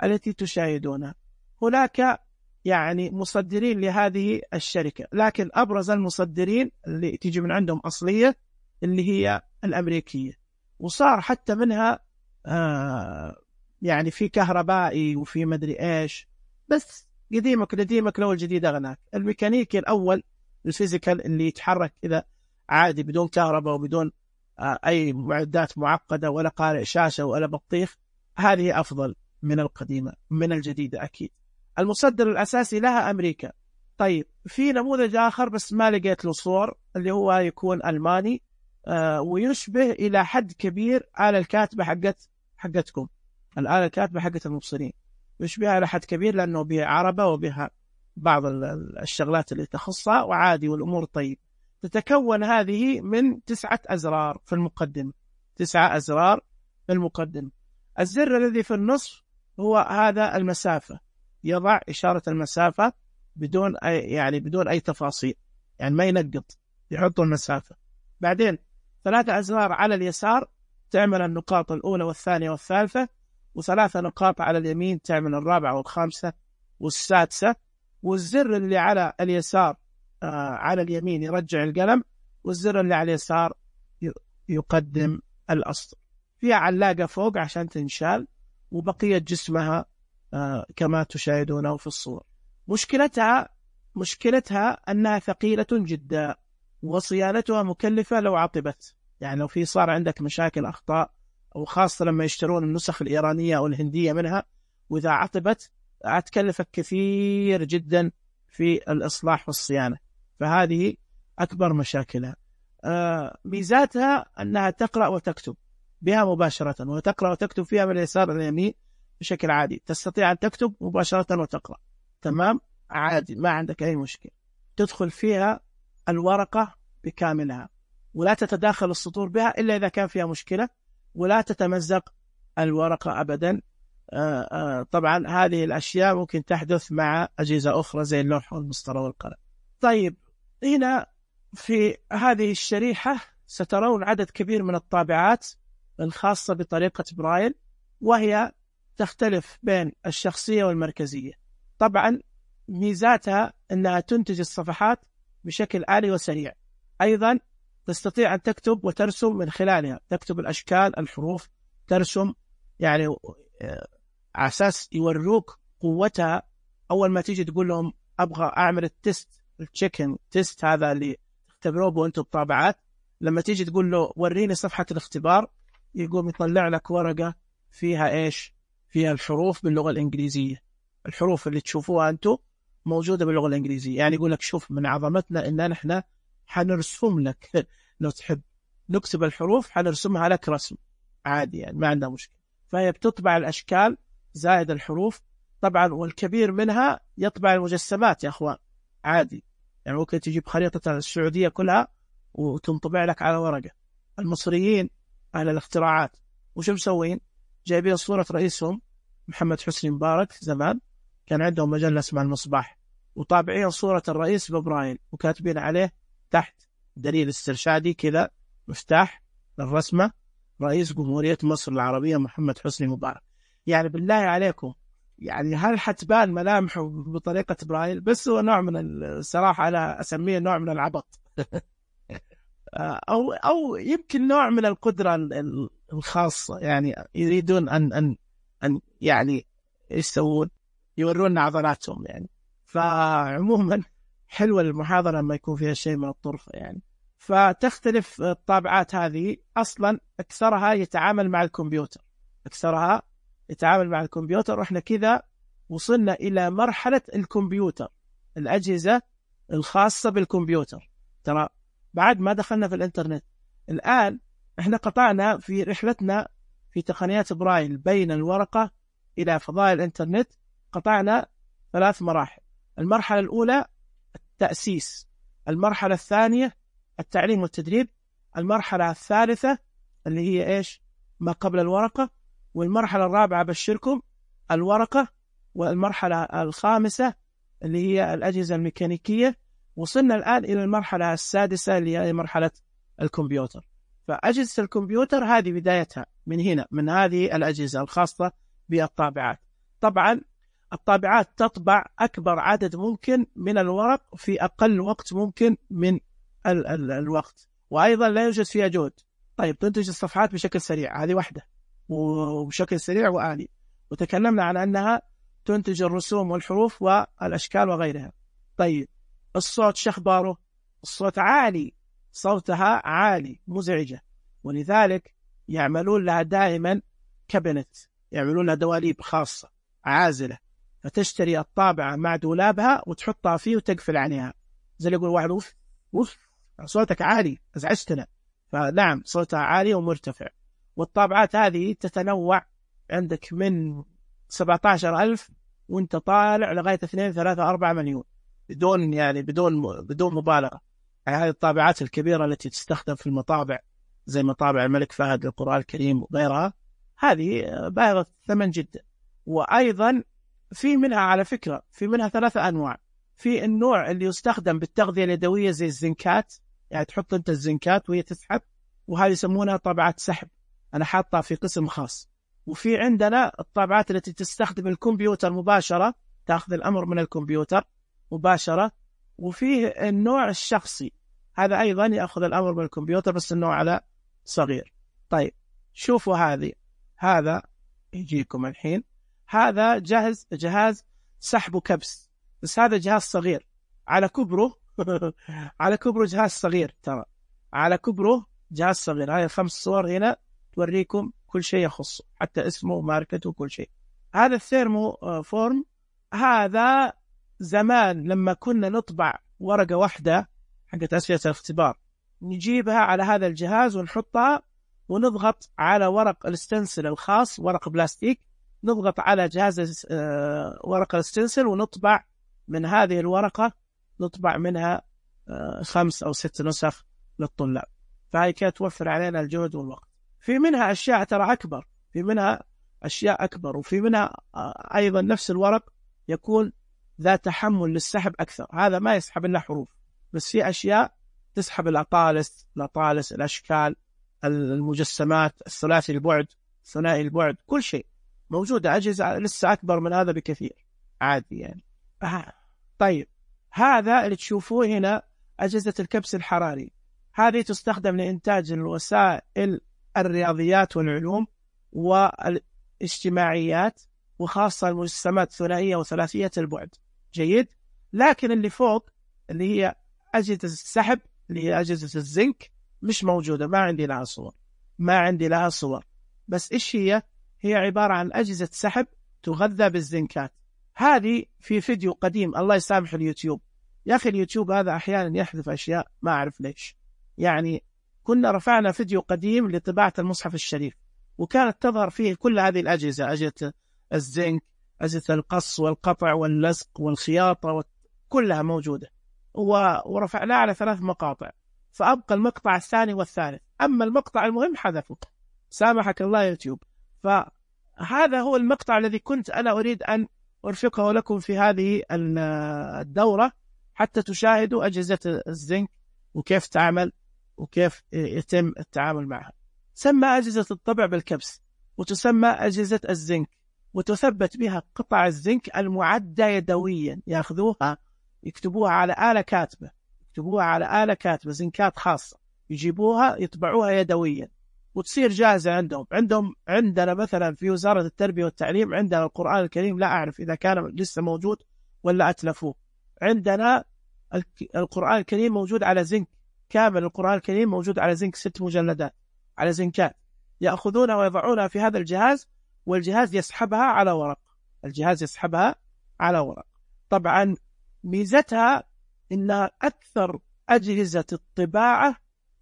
التي تشاهدونها. هناك يعني مصدرين لهذه الشركة، لكن أبرز المصدرين اللي تيجي من عندهم أصلية اللي هي الأمريكية، وصار حتى منها آه يعني في كهربائي وفي مدري إيش، بس قديمك قديمك لو الجديد أغناك. الميكانيكي الأول الفيزيكال اللي يتحرك إذا عادي بدون كهرباء وبدون آه أي معدات معقدة ولا قارئ شاشة ولا بطيخ، هذه أفضل من القديمة من الجديدة أكيد. المصدر الأساسي لها أمريكا. طيب في نموذج آخر بس ما لقيت له صور، اللي هو يكون ألماني آه ويشبه إلى حد كبير آلة الكاتبة حقت حقتكم، الآلة الكاتبة حقت المبصرين، يشبهها إلى حد كبير لأنه بها عربة وبها بعض الشغلات اللي تخصها وعادي والأمور طيب. تتكون هذه من تسعة أزرار في المقدمة، تسعة أزرار في المقدمة. الزر الذي في النصف هو هذا المسافة، يضع إشارة المسافة بدون أي يعني بدون أي تفاصيل، يعني ما ينقط، يحط المسافة. بعدين ثلاثة أزرار على اليسار تعمل النقاط الأولى والثانية والثالثة، وثلاثة نقاط على اليمين تعمل الرابعة والخامسة والسادسة. والزر اللي على اليسار آه على اليمين يرجع القلم، والزر اللي على اليسار يقدم الأسطر. فيها علاقة فوق عشان تنشال، وبقية جسمها آه كما تشاهدونه في الصور. مشكلتها مشكلتها أنها ثقيلة جدا، وصيانتها مكلفة لو عطبت، يعني لو في صار عندك مشاكل أخطاء، أو خاصة لما يشترون النسخ الإيرانية أو الهندية منها، وإذا عطبت هتكلفك كثير جدا في الإصلاح والصيانة، فهذه أكبر مشاكلها. آه ميزاتها أنها تقرأ وتكتب بها مباشرة، وتقرأ وتكتب فيها من اليسار إلى اليمين بشكل عادي، تستطيع أن تكتب مباشرة وتقرأ تمام عادي، ما عندك أي مشكلة. تدخل فيها الورقة بكاملها ولا تتداخل السطور بها إلا إذا كان فيها مشكلة، ولا تتمزق الورقة أبدا. آآ آآ طبعا هذه الأشياء ممكن تحدث مع أجهزة أخرى زي اللوح والمسطرة والقلم. طيب هنا في هذه الشريحة سترون عدد كبير من الطابعات الخاصة بطريقة برايل، وهي تختلف بين الشخصية والمركزية. طبعا ميزاتها أنها تنتج الصفحات بشكل آلي وسريع، أيضا تستطيع أن تكتب وترسم من خلالها، تكتب الأشكال الحروف ترسم، يعني على أساس يوروك قوتها. أول ما تيجي تقول لهم أبغى أعمل التست التشيكن تيست هذا اللي تختبروه وأنتم بطابعات، لما تيجي تقول له وريني صفحة الاختبار يقوم يطلع لك ورقة فيها إيش؟ فيها الحروف باللغة الإنجليزية، الحروف اللي تشوفوها أنتم موجودة باللغة الإنجليزية. يعني يقول لك شوف من عظمتنا إن نحن حنرسم لك لو تحب نكتب الحروف حنرسمها لك رسم عادي، يعني ما عندنا مشكلة. فهي بتطبع الأشكال زائد الحروف طبعا، والكبير منها يطبع المجسمات يا أخوان عادي، يعني ممكن تجيب خريطة السعودية كلها وتنطبع لك على ورقة. المصريين أهل الاختراعات وش مسوين؟ جايبين صورة رئيسهم محمد حسني مبارك، زمان كان عندهم مجلة اسمها المصباح، وطابعين صورة الرئيس ببرايل وكاتبين عليه تحت دليل استرشادي كذا مفتاح للرسمة رئيس جمهورية مصر العربية محمد حسني مبارك. يعني بالله عليكم، يعني هل حتبان ملامحه بطريقة برايل؟ بس هو نوع من الصراحة أنا أسميه نوع من العبط أو أو يمكن نوع من القدرة الخاصة، يعني يريدون أن أن أن يعني يسوون يورونا عضلاتهم يعني. فعموما حلوة المحاضرة لما يكون فيها شيء من الطرفة يعني. فتختلف الطابعات هذه، أصلا أكثرها يتعامل مع الكمبيوتر، أكثرها يتعامل مع الكمبيوتر. وإحنا كذا وصلنا إلى مرحلة الكمبيوتر، الأجهزة الخاصة بالكمبيوتر. ترى بعد ما دخلنا في الإنترنت، الآن إحنا قطعنا في رحلتنا في تقنيات برايل بين الورقة إلى فضاء الإنترنت، قطعنا ثلاث مراحل. المرحلة الأولى التأسيس، المرحلة الثانية التعليم والتدريب، المرحلة الثالثة اللي هي إيش؟ ما قبل الورقة، والمرحلة الرابعة بشركم الورقة، والمرحلة الخامسة اللي هي الأجهزة الميكانيكية. وصلنا الآن إلى المرحلة السادسة اللي هي مرحلة الكمبيوتر. فأجهزة الكمبيوتر هذه بدايتها من هنا، من هذه الأجهزة الخاصة بالطابعات. طبعا الطابعات تطبع أكبر عدد ممكن من الورق في أقل وقت ممكن من ال ال الوقت، وأيضا لا يوجد فيها جهد. طيب تنتج الصفحات بشكل سريع، هذه واحدة، وبشكل سريع وآلي. وتكلمنا عن أنها تنتج الرسوم والحروف والأشكال وغيرها. طيب الصوت شخباره؟ الصوت عالي، صوتها عالي مزعجة، ولذلك يعملون لها دائما كابينت، يعملون لها دواليب خاصة عازلة، فتشتري الطابعة مع دولابها وتحطها فيه وتقفل عليها. زي اللي يقول واحد اوف اوف صوتك عالي ازعجتنا، فنعم صوتها عالي ومرتفع. والطابعات هذه تتنوع، عندك من سبعة عشر ألف وانت طالع لغاية اثنين ثلاثة أربعة مليون، بدون يعني بدون بدون مبالغة. يعني هذه الطابعات الكبيرة التي تستخدم في المطابع زي مطابع الملك فهد للقرآن الكريم وغيرها، هذه بالغة الثمن جدا. وأيضا في منها على فكرة في منها ثلاثة أنواع. في النوع اللي يستخدم بالتغذية اليدوية زي الزنكات، يعني تحط أنت الزنكات وهي تسحب، وهذه يسمونها طابعات سحب، أنا حاطها في قسم خاص. وفي عندنا الطابعات التي تستخدم الكمبيوتر مباشرة، تأخذ الأمر من الكمبيوتر مباشرة. وفيه النوع الشخصي، هذا أيضا يأخذ الأمر من الكمبيوتر بس النوع على صغير. طيب شوفوا هذه، هذا يجيكم الحين، هذا جهاز جهاز سحب وكبس، بس هذا جهاز صغير على كبره على كبره جهاز صغير، ترى على كبره جهاز صغير. هاي الخمس صور هنا توريكم كل شيء يخصه، حتى اسمه وماركته وكل شيء. هذا الثيرمو فورم، هذا زمان لما كنا نطبع ورقة واحدة حقت أسئلة الاختبار، نجيبها على هذا الجهاز ونحطها ونضغط على ورق الستنسل الخاص، ورق بلاستيك، نضغط على جهاز ورق الستنسل ونطبع من هذه الورقة، نطبع منها خمس أو ست نسخ للطلاب. فهي كانت توفر علينا الجهد والوقت. في منها أشياء ترى أكبر، في منها أشياء أكبر، وفي منها أيضا نفس الورق يكون ذا تحمل للسحب أكثر. هذا ما يسحب إلا حروف، بس في أشياء تسحب الأطالس، الأطالس، الأشكال، المجسمات، الثلاثي البعد، ثنائي البعد، كل شيء موجودة. أجهزة لسه أكبر من هذا بكثير عادي يعني. آه. طيب هذا اللي تشوفوه هنا أجهزة الكبس الحراري، هذه تستخدم لإنتاج الوسائل الرياضيات والعلوم والاجتماعيات، وخاصة المجسمات ثنائية وثلاثية البعد. جيد. لكن اللي فوق اللي هي أجهزة السحب اللي هي أجهزة الزنك مش موجودة، ما عندي لها صور، ما عندي لها صور. بس إيش هي؟ هي عبارة عن أجهزة سحب تغذى بالزنكات. هذه في فيديو قديم، الله يسامح اليوتيوب، يا أخي اليوتيوب هذا أحيانا يحذف أشياء ما أعرف ليش. يعني كنا رفعنا فيديو قديم لطباعة المصحف الشريف، وكانت تظهر فيه كل هذه الأجهزة، أجهزة الزنك، أجهزة القص والقطع واللصق والخياطة، كلها موجودة، ورفعناه على ثلاث مقاطع، فأبقى المقطع الثاني والثالث، أما المقطع المهم حذفه، سامحك الله يوتيوب. فهذا هو المقطع الذي كنت أنا أريد أن أرفقه لكم في هذه الدورة، حتى تشاهدوا أجهزة الزنك وكيف تعمل وكيف يتم التعامل معها. تسمى أجهزة الطبع بالكبس، وتسمى أجهزة الزنك، وتثبت بها قطع الزنك المعدة يدويا، يأخذوها يكتبوها على آلة كاتبة، يكتبوها على آلة كاتبة زنكات خاصة، يجيبوها يطبعوها يدويا وتصير جاهزة عندهم. عندهم عندنا مثلا في وزارة التربية والتعليم عندنا القرآن الكريم، لا أعرف إذا كان لسه موجود ولا أتلفوه. عندنا القرآن الكريم موجود على زنك كامل، القرآن الكريم موجود على زنك ست مجلدات على زنكات، يأخذونها ويضعونها في هذا الجهاز، والجهاز يسحبها على ورق، الجهاز يسحبها على ورق. طبعا ميزتها إنها أكثر أجهزة الطباعة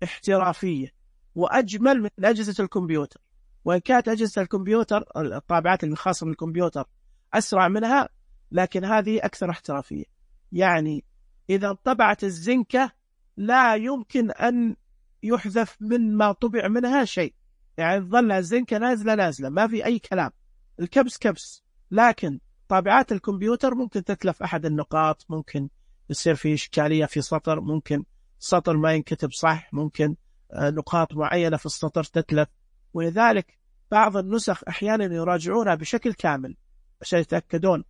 احترافية وأجمل من أجهزة الكمبيوتر، وإن كانت أجهزة الكمبيوتر الطابعات الخاصة بالكمبيوتر أسرع منها، لكن هذه أكثر احترافية. يعني إذا طبعت الزنكة لا يمكن أن يحذف من ما طبع منها شيء، يعني تظل الزنكة نازلة نازلة ما في أي كلام، الكبس كبس. لكن طابعات الكمبيوتر ممكن تتلف أحد النقاط، ممكن يصير في إشكالية في سطر، ممكن سطر ما ينكتب صح، ممكن نقاط معينة في السطر تتلف، ولذلك بعض النسخ أحيانا يراجعونها بشكل كامل عشان يتأكدون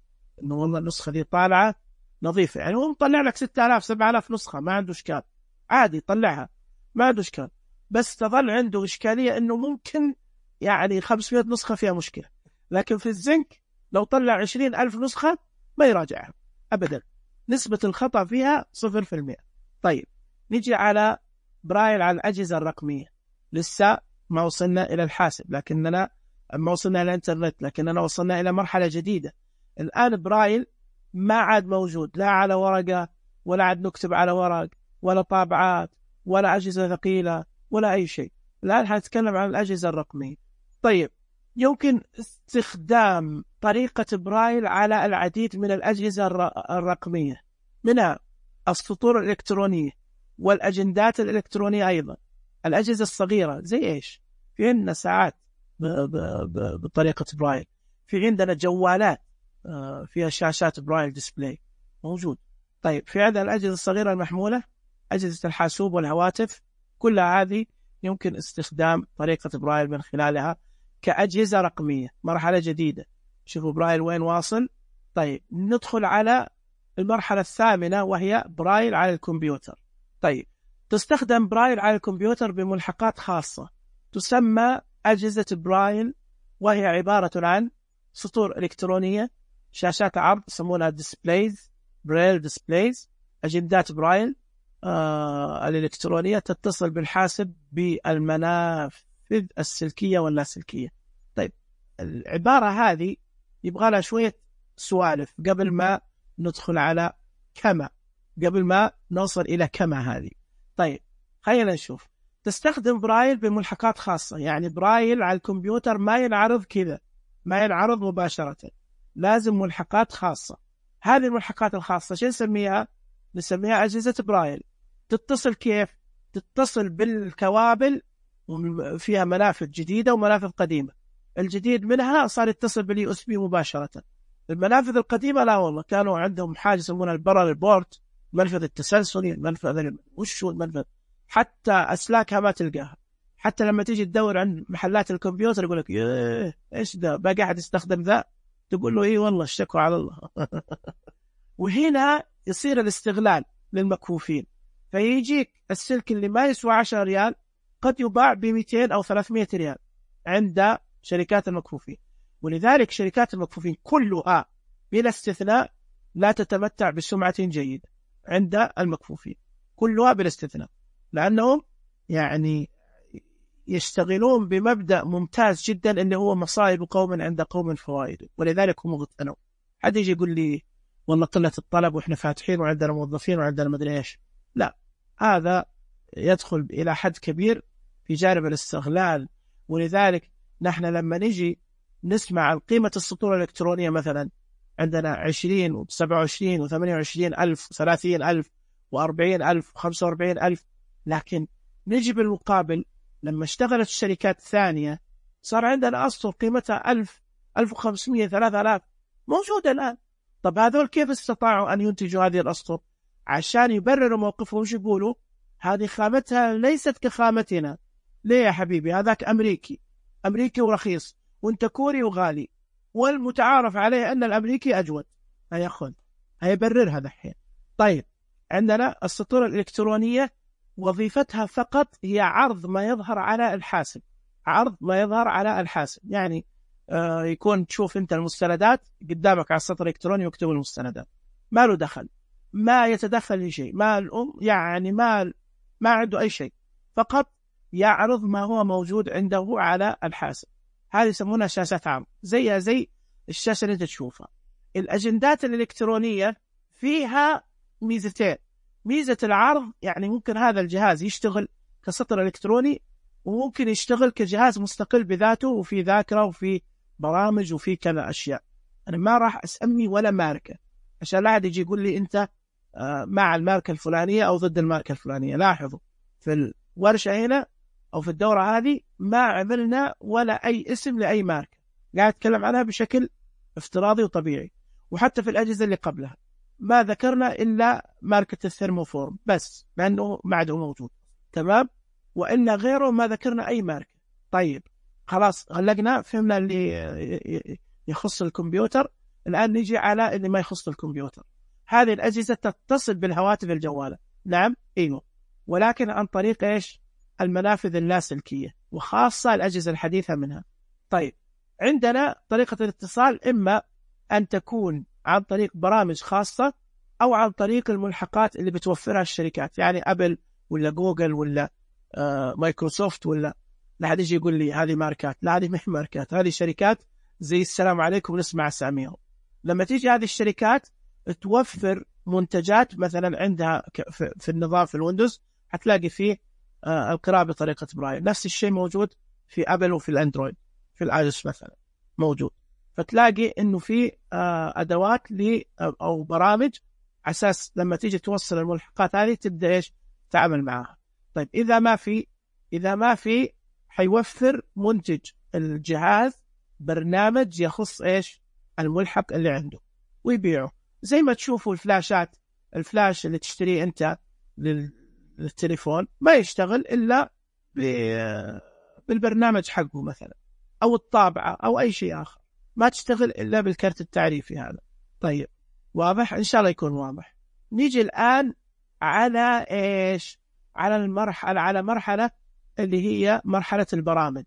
أنه والله النسخة دي طالعة نظيفة. يعني هو مطلع لك ستة آلاف سبعة آلاف نسخة ما عنده إشكال، عادي طلعها ما عنده إشكال، بس تظل عنده إشكالية أنه ممكن يعني خمسمائة نسخة فيها مشكلة. لكن في الزنك لو طلع عشرين ألف نسخة ما يراجعها أبدا، نسبة الخطأ فيها صفر في المئة. طيب نجي على برايل، على الأجهزة الرقمية. لسه ما وصلنا إلى الحاسب، لكننا ما وصلنا إلى الإنترنت، لكننا وصلنا إلى مرحلة جديدة. الآن برايل ما عاد موجود، لا على ورقة، ولا عاد نكتب على ورق، ولا طابعات، ولا أجهزة ثقيلة، ولا أي شيء. الآن حنتكلم عن الأجهزة الرقمية. طيب يمكن استخدام طريقة برايل على العديد من الأجهزة الرقمية، منها السطور الإلكترونية والأجندات الإلكترونية، أيضا الأجهزة الصغيرة زي إيش؟ في عندنا ساعات بطريقة برايل، في عندنا جوالات فيها شاشات برايل ديسبلاي موجود. طيب في عندنا الأجهزة الصغيرة المحمولة، أجهزة الحاسوب والهواتف، كلها هذه يمكن استخدام طريقة برايل من خلالها كأجهزة رقمية. مرحلة جديدة، شوفوا برايل وين واصل. طيب ندخل على المرحلة الثامنة، وهي برايل على الكمبيوتر. طيب تستخدم برايل على الكمبيوتر بملحقات خاصة تسمى أجهزة برايل، وهي عبارة عن سطور إلكترونية، شاشات عرض يسمونها ديسبلايز، برايل ديسبلايز، أجندات برايل آه الإلكترونية تتصل بالحاسب بالمنافذ السلكية واللاسلكية. طيب العبارة هذه يبغى لها شوية سوالف قبل ما ندخل على كما قبل ما نوصل إلى كما هذه. طيب خلينا نشوف. تستخدم برايل بملحقات خاصة، يعني برايل على الكمبيوتر ما ينعرض كذا، ما ينعرض مباشرة، لازم ملحقات خاصة. هذه الملحقات الخاصة شو نسميها؟ نسميها أجهزة برايل. تتصل كيف؟ تتصل بالكوابل، وفيها منافذ جديدة ومنافذ قديمة. الجديد منها صار يتصل باليو اس بي مباشرة. المنافذ القديمة لا والله، كانوا عندهم حاجة يسمونها البارالل بورت، منفذ التسلسلي، المنفذ وش هو المنفذ، حتى أسلاكها ما تلقاها. حتى لما تيجي تدور عند محلات الكمبيوتر يقول لك ايه ايش ده باقي أحد يستخدم ذا، تقول له ايه والله اشتكوا على الله. وهنا يصير الاستغلال للمكفوفين، فيجيك السلك اللي ما يسوى عشرة ريال قد يباع ب مئتين أو ثلاثمئة ريال عند شركات المكفوفين. ولذلك شركات المكفوفين كلها بلا استثناء لا تتمتع بسمعة جيدة عند المكفوفين، كلها بلا استثناء، لأنهم يعني يشتغلون بمبدأ ممتاز جدا اللي هو مصائب قوم عند قوم فوائد، ولذلك هم اغتنوا. حد يجي يقول لي والله قلة الطلب وإحنا فاتحين وعندنا موظفين وعندنا مدري إيش، لا، هذا يدخل إلى حد كبير في جانب الاستغلال. ولذلك نحن لما نجي نسمع عن قيمة السطور الإلكترونية، مثلا عندنا عشرين وسبعة وعشرين وثمانية وعشرين ألف وثلاثين ألف وأربعين ألف وخمسة وأربعين ألف، لكن نجي بالمقابل لما اشتغلت الشركات الثانية صار عندنا أسطر قيمتها ألف، ألف وخمسمئة، ثلاثة آلاف موجودة الآن. طب هذول كيف استطاعوا أن ينتجوا هذه الأسطر؟ عشان يبرروا موقفهم وش يقولوا؟ هذه خامتها ليست كخامتنا. ليه يا حبيبي؟ هذاك أمريكي، أمريكي ورخيص، وانت كوري وغالي، والمتعارف عليه أن الأمريكي أجود. هياخذ هيبرر هذا الحين. طيب عندنا السطور الإلكترونية وظيفتها فقط هي عرض ما يظهر على الحاسب، عرض ما يظهر على الحاسب. يعني آه يكون تشوف انت المستندات قدامك على السطر الإلكتروني ويكتب المستندات، ما له دخل، ما يتدخل في شيء، ما الأم يعني ما ما عنده أي شيء، فقط يعرض ما هو موجود عنده على الحاسب. هذه يسمونها شاشات عام، زيها زي الشاشة اللي انت تشوفها. الأجندات الإلكترونية فيها ميزتين. ميزة العرض، يعني ممكن هذا الجهاز يشتغل كسطر إلكتروني، وممكن يشتغل كجهاز مستقل بذاته، وفي ذاكرة وفي برامج وفي كذا أشياء. أنا ما راح أسمي ولا ماركة عشان لا أحد يجي يقول لي أنت مع الماركة الفلانية أو ضد الماركة الفلانية. لاحظوا في الورشة هنا أو في الدورة هذه ما عملنا ولا أي اسم لأي ماركة، قاعد أتكلم عنها بشكل افتراضي وطبيعي. وحتى في الأجهزة اللي قبلها ما ذكرنا إلا ماركة الثيرموفورم بس، لأنه ما عاد موجود، تمام؟ وإلا غيره ما ذكرنا أي ماركة. طيب خلاص غلقنا، فهمنا اللي يخص الكمبيوتر. الآن نجي على اللي ما يخص الكمبيوتر. هذه الأجهزة تتصل بالهواتف الجوالة، نعم أيوه، ولكن عن طريق إيش؟ المنافذ اللاسلكية، وخاصة الأجهزة الحديثة منها. طيب عندنا طريقة الاتصال إما أن تكون عن طريق برامج خاصة أو عن طريق الملحقات اللي بتوفرها الشركات، يعني أبل ولا جوجل ولا آه مايكروسوفت. ولا لا حد يجي يقول لي هذه ماركات، لا هذه ما هي ماركات، هذه شركات زي السلام عليكم نسمع أساميهم. لما تيجي هذه الشركات توفر منتجات، مثلا عندها في النظام في الويندوز هتلاقي فيه آه القراءة بطريقة برايل. نفس الشيء موجود في أبل وفي الأندرويد، في الآيوس مثلا موجود. فتلاقي إنه في آه أدوات ل أو برامج أساس لما تيجي توصل الملحقات هذه تبدأ إيش تعمل معها. طيب إذا ما في إذا ما في حيوفر منتج الجهاز برنامج يخص إيش الملحق اللي عنده ويبيعه. زي ما تشوفوا الفلاشات، الفلاش اللي تشتريه أنت للتليفون ما يشتغل إلا بالبرنامج حقه مثلا، أو الطابعة أو أي شيء آخر، ما تشتغل إلا بالكرت التعريفي هذا. طيب واضح؟ إن شاء الله يكون واضح. نيجي الآن على إيش؟ على المرحلة على مرحلة اللي هي مرحلة البرامج.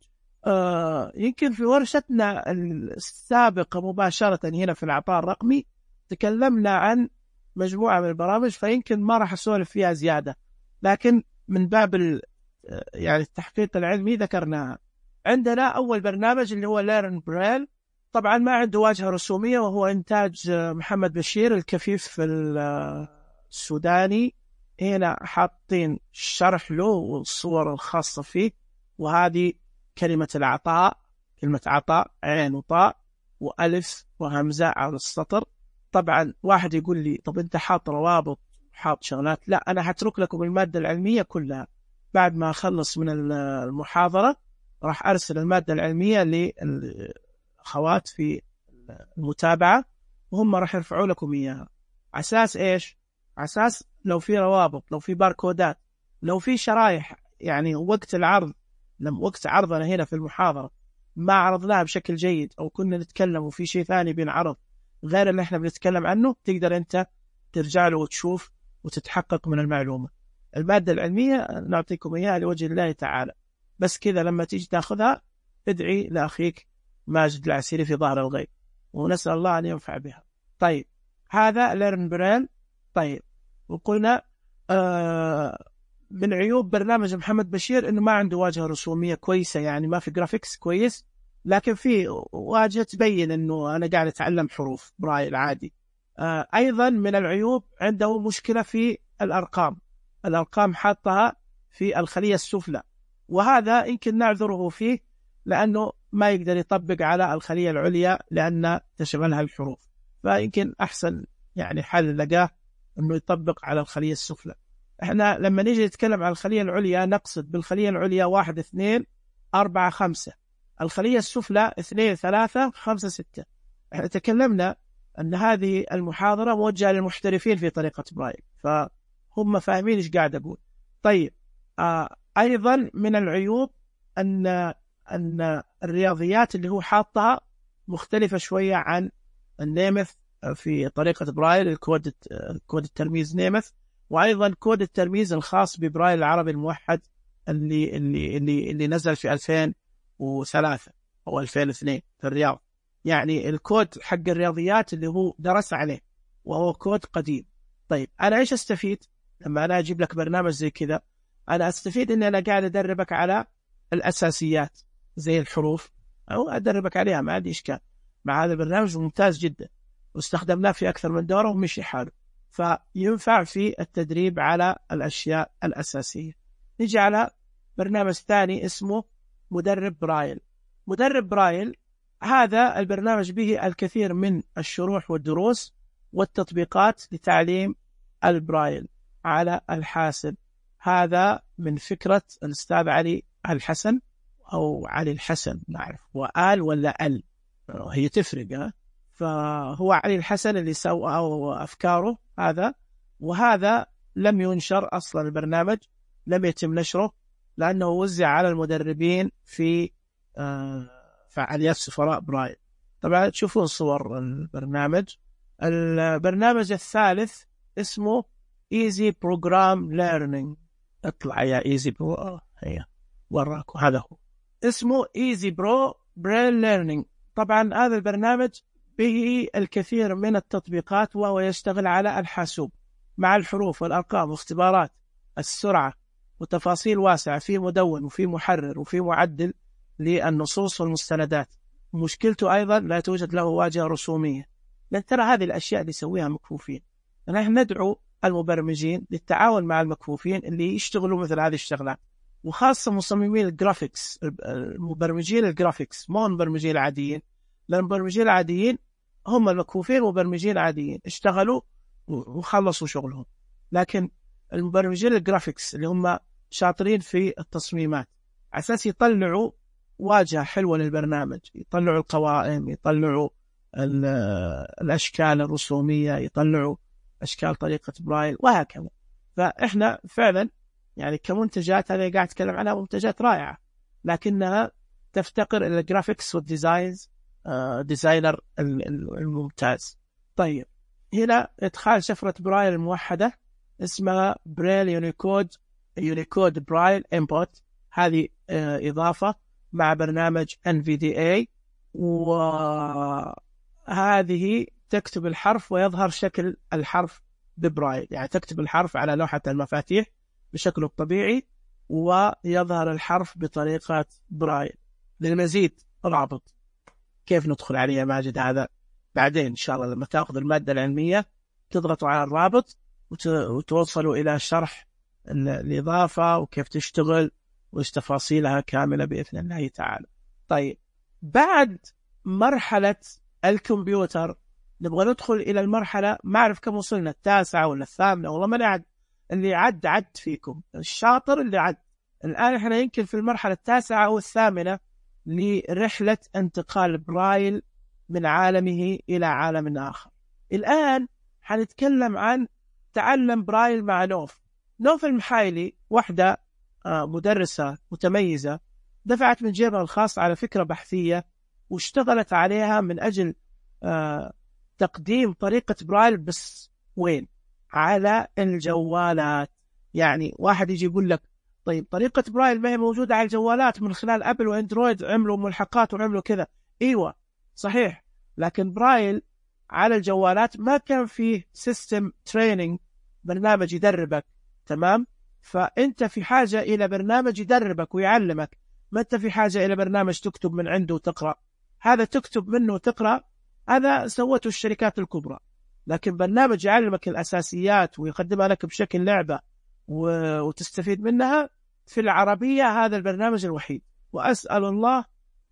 آه يمكن في ورشتنا السابقة مباشرة هنا في العطاء الرقمي تكلمنا عن مجموعة من البرامج، فيمكن ما راح أسولف فيها زيادة، لكن من باب يعني التحقيق العلمي ذكرناها. عندنا أول برنامج اللي هو ليرن برايل، طبعا ما عنده واجهة رسومية، وهو إنتاج محمد بشير الكفيف في السوداني. هنا حاطين شرح له والصور الخاصة فيه، وهذه كلمة العطاء، كلمة عطاء عين وطاء وألف وهمزة على السطر. طبعا واحد يقول لي طب أنت حاط روابط حاط شغلات، لا أنا هترك لكم المادة العلمية كلها. بعد ما أخلص من المحاضرة راح أرسل المادة العلمية للأخوات في المتابعة، وهم راح يرفعوا لكم إياها. أساس إيش؟ أساس لو في روابط، لو في باركودات، لو في شرايح، يعني وقت العرض، لما وقت عرضنا هنا في المحاضرة ما عرضناها بشكل جيد، أو كنا نتكلم وفي شيء ثاني بينعرض غير اللي احنا بنتكلم عنه، تقدر أنت ترجع له وتشوف وتتحقق من المعلومة. المادة العلمية نعطيكم إياها لوجه الله تعالى، بس كذا لما تيجي تأخذها ادعي لأخيك ماجد العسيري في ظهر الغيب، ونسأل الله أن ينفع بها. طيب هذا ليرن برين. طيب وقلنا آه من عيوب برنامج محمد بشير إنه ما عنده واجهة رسومية كويسة، يعني ما في جرافيكس كويس، لكن في واجهة تبين إنه أنا قاعد أتعلم حروف برايل عادي. آه أيضا من العيوب عنده مشكلة في الأرقام، الأرقام حاطها في الخلية السفلى، وهذا يمكن نعذره فيه لأنه ما يقدر يطبق على الخلية العليا لأن تشغلها الحروف، فيمكن أحسن يعني حل لقاه أنه يطبق على الخلية السفلى. احنا لما نيجي نتكلم عن الخلية العليا نقصد بالخلية العليا واحد اثنين أربعة خمسة، الخلية السفلى اثنين ثلاثة خمسة ستة. احنا تكلمنا أن هذه المحاضرة موجهة للمحترفين في طريقة برايل، فهم فاهمين إيش قاعد أقول. طيب آه أيضا من العيوب أن أن الرياضيات اللي هو حاطها مختلفة شوية عن النيمث في طريقة برايل، الكود كود الترميز نيمث، وأيضا كود الترميز الخاص ببرايل العربي الموحد اللي اللي اللي اللي نزل في ألفين وثلاثة أو ألفين واثنين في الرياض. يعني الكود حق الرياضيات اللي هو درس عليه وهو كود قديم. طيب أنا إيش أستفيد لما أنا أجيب لك برنامج زي كذا؟ أنا أستفيد إن أنا قاعد أدربك على الأساسيات زي الحروف، أو أدربك عليها، ما عندي إشكال مع هذا البرنامج ممتاز جدا، واستخدمناه في أكثر من دورة ومشي حاله، فينفع في التدريب على الأشياء الأساسية. نيجي على برنامج ثاني اسمه مدرب برايل. مدرب برايل هذا البرنامج به الكثير من الشروح والدروس والتطبيقات لتعليم البرايل على الحاسب. هذا من فكرة الأستاذ علي الحسن أو علي الحسن، نعرف وآل ولا أل، هي تفرق ها؟ فهو علي الحسن اللي سوى أو أفكاره هذا، وهذا لم ينشر أصلا، البرنامج لم يتم نشره لأنه وزع على المدربين في فعاليات سفراء برايل. طبعا تشوفون صور البرنامج. البرنامج الثالث اسمه Easy Program Learning. اطلع يا Easy Pro، هي وراكم، هذا هو اسمه Easy Pro Braille Learning. طبعا هذا البرنامج به الكثير من التطبيقات، وهو يشتغل على الحاسوب مع الحروف والأرقام واختبارات السرعة وتفاصيل واسعة، في مدون وفي محرر وفي معدل للنصوص والمستندات. مشكلته أيضا لا توجد له واجهة رسومية، لأن ترى هذه الأشياء اللي يسويها مكفوفين. نحن ندعو المبرمجين للتعاون مع المكفوفين اللي يشتغلوا مثل هذه الشغلات، وخاصة مصممين الجرافيكس، المبرمجين الجرافيكس، مو المبرمجين العاديين، لأن المبرمجين العاديين هم المكفوفين، مبرمجين عاديين اشتغلوا وخلصوا شغلهم، لكن المبرمجين الجرافيكس اللي هم شاطرين في التصميمات على أساس يطلعوا واجهة حلوة للبرنامج، يطلعوا القوائم، يطلعوا الأشكال الرسومية، يطلعوا أشكال طريقة برايل وهكذا. فإحنا فعلا يعني كمنتجات، هذه قاعد أتكلم عنها منتجات رائعة، لكنها تفتقر إلى الجرافيكس والديزاينز، آه ديزاينر الممتاز. طيب هنا إدخال شفرة برايل الموحدة اسمها برايل يونيكود يونيكود برايل إنبوت. هذه آه إضافة مع برنامج إن في دي إيه، وهذه تكتب الحرف ويظهر شكل الحرف ببرايل، يعني تكتب الحرف على لوحة المفاتيح بشكله الطبيعي ويظهر الحرف بطريقة برايل. للمزيد رابط كيف ندخل عليه يا ماجد؟ هذا بعدين إن شاء الله لما تأخذ المادة العلمية تضغطوا على الرابط وتوصلوا إلى شرح الإضافة وكيف تشتغل وإيش تفاصيلها كاملة بإذن الله تعالى. طيب بعد مرحلة الكمبيوتر نبغى ندخل إلى المرحلة، ما أعرف كم وصلنا، التاسعة ولا الثامنة والله ما نعد، اللي عد عد فيكم الشاطر اللي عد. الآن إحنا يمكن في المرحلة التاسعة أو الثامنة لرحلة انتقال برايل من عالمه إلى عالم آخر. الآن حنتكلم عن تعلم برايل مع نوف. نوف المحايلي واحدة مدرسة متميزة دفعت من جيبها الخاص على فكرة بحثية واشتغلت عليها من أجل تقديم طريقة برايل، بس وين؟ على الجوالات. يعني واحد يجي يقول لك طيب طريقة برايل ما هي موجودة على الجوالات من خلال أبل وأندرويد، عملوا ملحقات وعملوا كذا. إيوة صحيح، لكن برايل على الجوالات ما كان فيه سيستم تريننج، برنامج يدربك. تمام؟ فأنت في حاجة إلى برنامج يدربك ويعلمك، ما أنت في حاجة إلى برنامج تكتب من عنده وتقرأ. هذا تكتب منه وتقرأ هذا سوته الشركات الكبرى، لكن برنامج يعلمك الأساسيات ويقدمها لك بشكل لعبة وتستفيد منها في العربية، هذا البرنامج الوحيد. وأسأل الله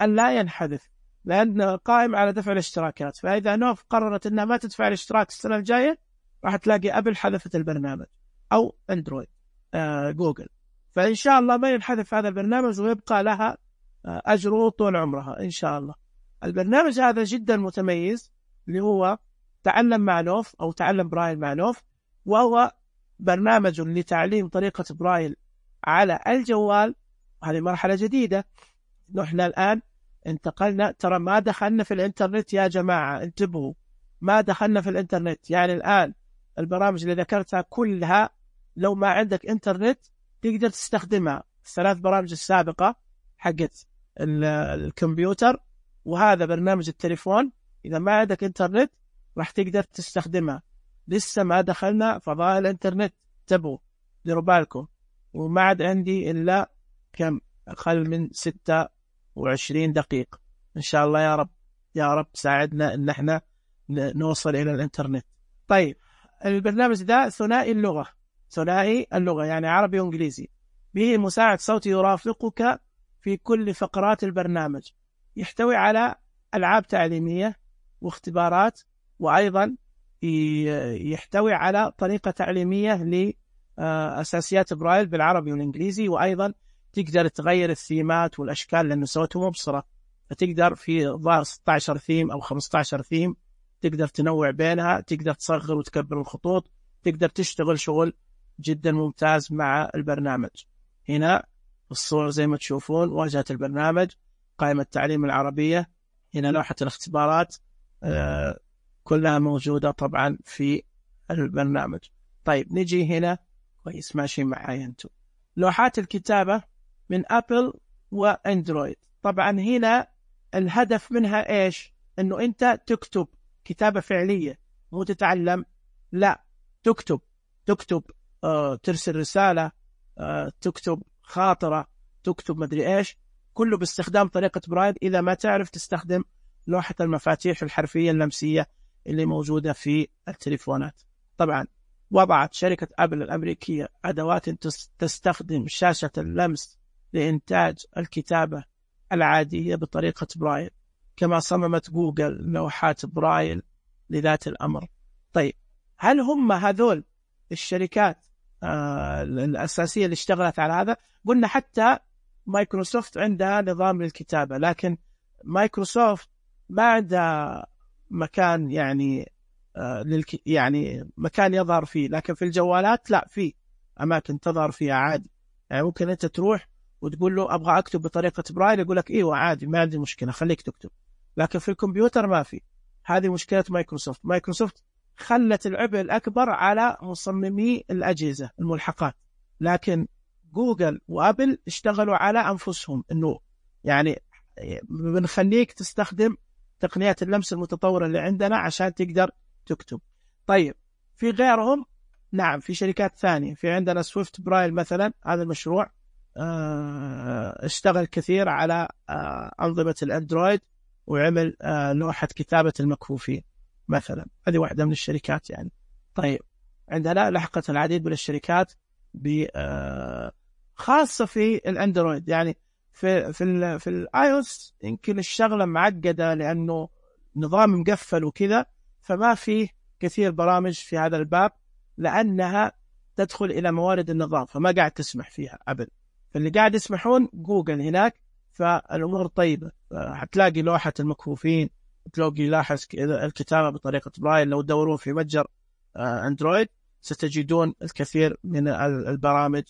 أن لا ينحذف، لأنه قائم على دفع الاشتراكات. فإذا نوف قررت أنها ما تدفع الاشتراك السنة الجاية راح تلاقي أبل حذفت البرنامج أو أندرويد آه جوجل. فإن شاء الله ما ينحذف هذا البرنامج ويبقى لها آه أجره طول عمرها إن شاء الله. البرنامج هذا جدا متميز اللي هو تعلم مع نوف أو تعلم برايل مع نوف، وهو برنامج لتعليم طريقة برايل على الجوال. هذه مرحلة جديدة. نحن الآن انتقلنا، ترى ما دخلنا في الانترنت يا جماعة، انتبهوا، ما دخلنا في الانترنت. يعني الآن البرامج اللي ذكرتها كلها لو ما عندك انترنت تقدر تستخدمها. الثلاث برامج السابقة حقت الكمبيوتر وهذا برنامج التليفون، إذا ما عندك انترنت راح تقدر تستخدمها. لسه ما دخلنا فضاء الانترنت، انتبهوا ديروا بالكم. وما عاد عندي إلا كم أقل من ستة وعشرين دقيقة إن شاء الله. يا رب يا رب ساعدنا إن احنا نوصل إلى الانترنت. طيب البرنامج ده ثنائي اللغة، ثنائي اللغة يعني عربي وإنجليزي، به مساعد صوتي يرافقك في كل فقرات البرنامج. يحتوي على ألعاب تعليمية واختبارات، وأيضا يحتوي على طريقة تعليمية لأساسيات برايل بالعربي والإنجليزي، وأيضا تقدر تغير الثيمات والأشكال لأنه سوته مبصرة، فتقدر في ظهر ستة عشر ثيم أو خمسة عشر ثيم تقدر تنوع بينها، تقدر تصغر وتكبر الخطوط، تقدر تشتغل شغل جدا ممتاز مع البرنامج. هنا الصور زي ما تشوفون واجهة البرنامج، قائمة التعليم العربية، هنا لوحة الاختبارات، آه كلها موجودة طبعا في البرنامج. طيب نجي هنا كويس ماشي معايا انتم. لوحات الكتابة من أبل وأندرويد. طبعا هنا الهدف منها إيش؟ إنه أنت تكتب كتابة فعلية، مو تتعلم، لا تكتب تكتب آه، ترسل رسالة، آه، تكتب خاطرة، تكتب مدري إيش، كله باستخدام طريقة برايل. إذا ما تعرف تستخدم لوحة المفاتيح الحرفية اللمسية اللي موجودة في التليفونات. طبعا وضعت شركة أبل الأمريكية أدوات تستخدم شاشة اللمس لإنتاج الكتابة العادية بطريقة برايل، كما صممت جوجل لوحات برايل لذات الأمر. طيب هل هم هذول الشركات آه الأساسية اللي اشتغلت على هذا؟ قلنا حتى مايكروسوفت عندها نظام للكتابة، لكن مايكروسوفت ما عندها مكان يعني آه للك يعني مكان يظهر فيه، لكن في الجوالات لا، في أماكن تظهر فيها عادي. يعني ممكن أنت تروح وتقول له أبغى أكتب بطريقة برايل، يقول لك إيوه عادي ما عندي مشكلة خليك تكتب، لكن في الكمبيوتر ما في. هذه مشكلة مايكروسوفت. مايكروسوفت خلت العبء الأكبر على مصممي الأجهزة الملحقات، لكن جوجل وأبل اشتغلوا على أنفسهم إنه يعني بنخليك تستخدم تقنيات اللمس المتطورة اللي عندنا عشان تقدر تكتب. طيب في غيرهم؟ نعم في شركات ثانية. في عندنا سويفت برايل مثلا، هذا المشروع اشتغل كثير على أنظمة الأندرويد وعمل آه لوحة كتابة المكفوفين مثلا، هذه واحدة من الشركات يعني. طيب عندنا لحقت العديد من الشركات آه خاصة في الأندرويد، يعني في في ال في الاي او اس يمكن الشغلة معقدة لأنه نظام مقفل وكذا، فما فيه كثير برامج في هذا الباب لأنها تدخل إلى موارد النظام، فما قاعد تسمح فيها أبدا. فاللي قاعد يسمحون جوجل هناك، فالأمور طيبة. هتلاقي لوحة المكفوفين، تلاقي لاحظ الكتابة بطريقة برايل. لو تدورون في متجر أندرويد ستجدون الكثير من البرامج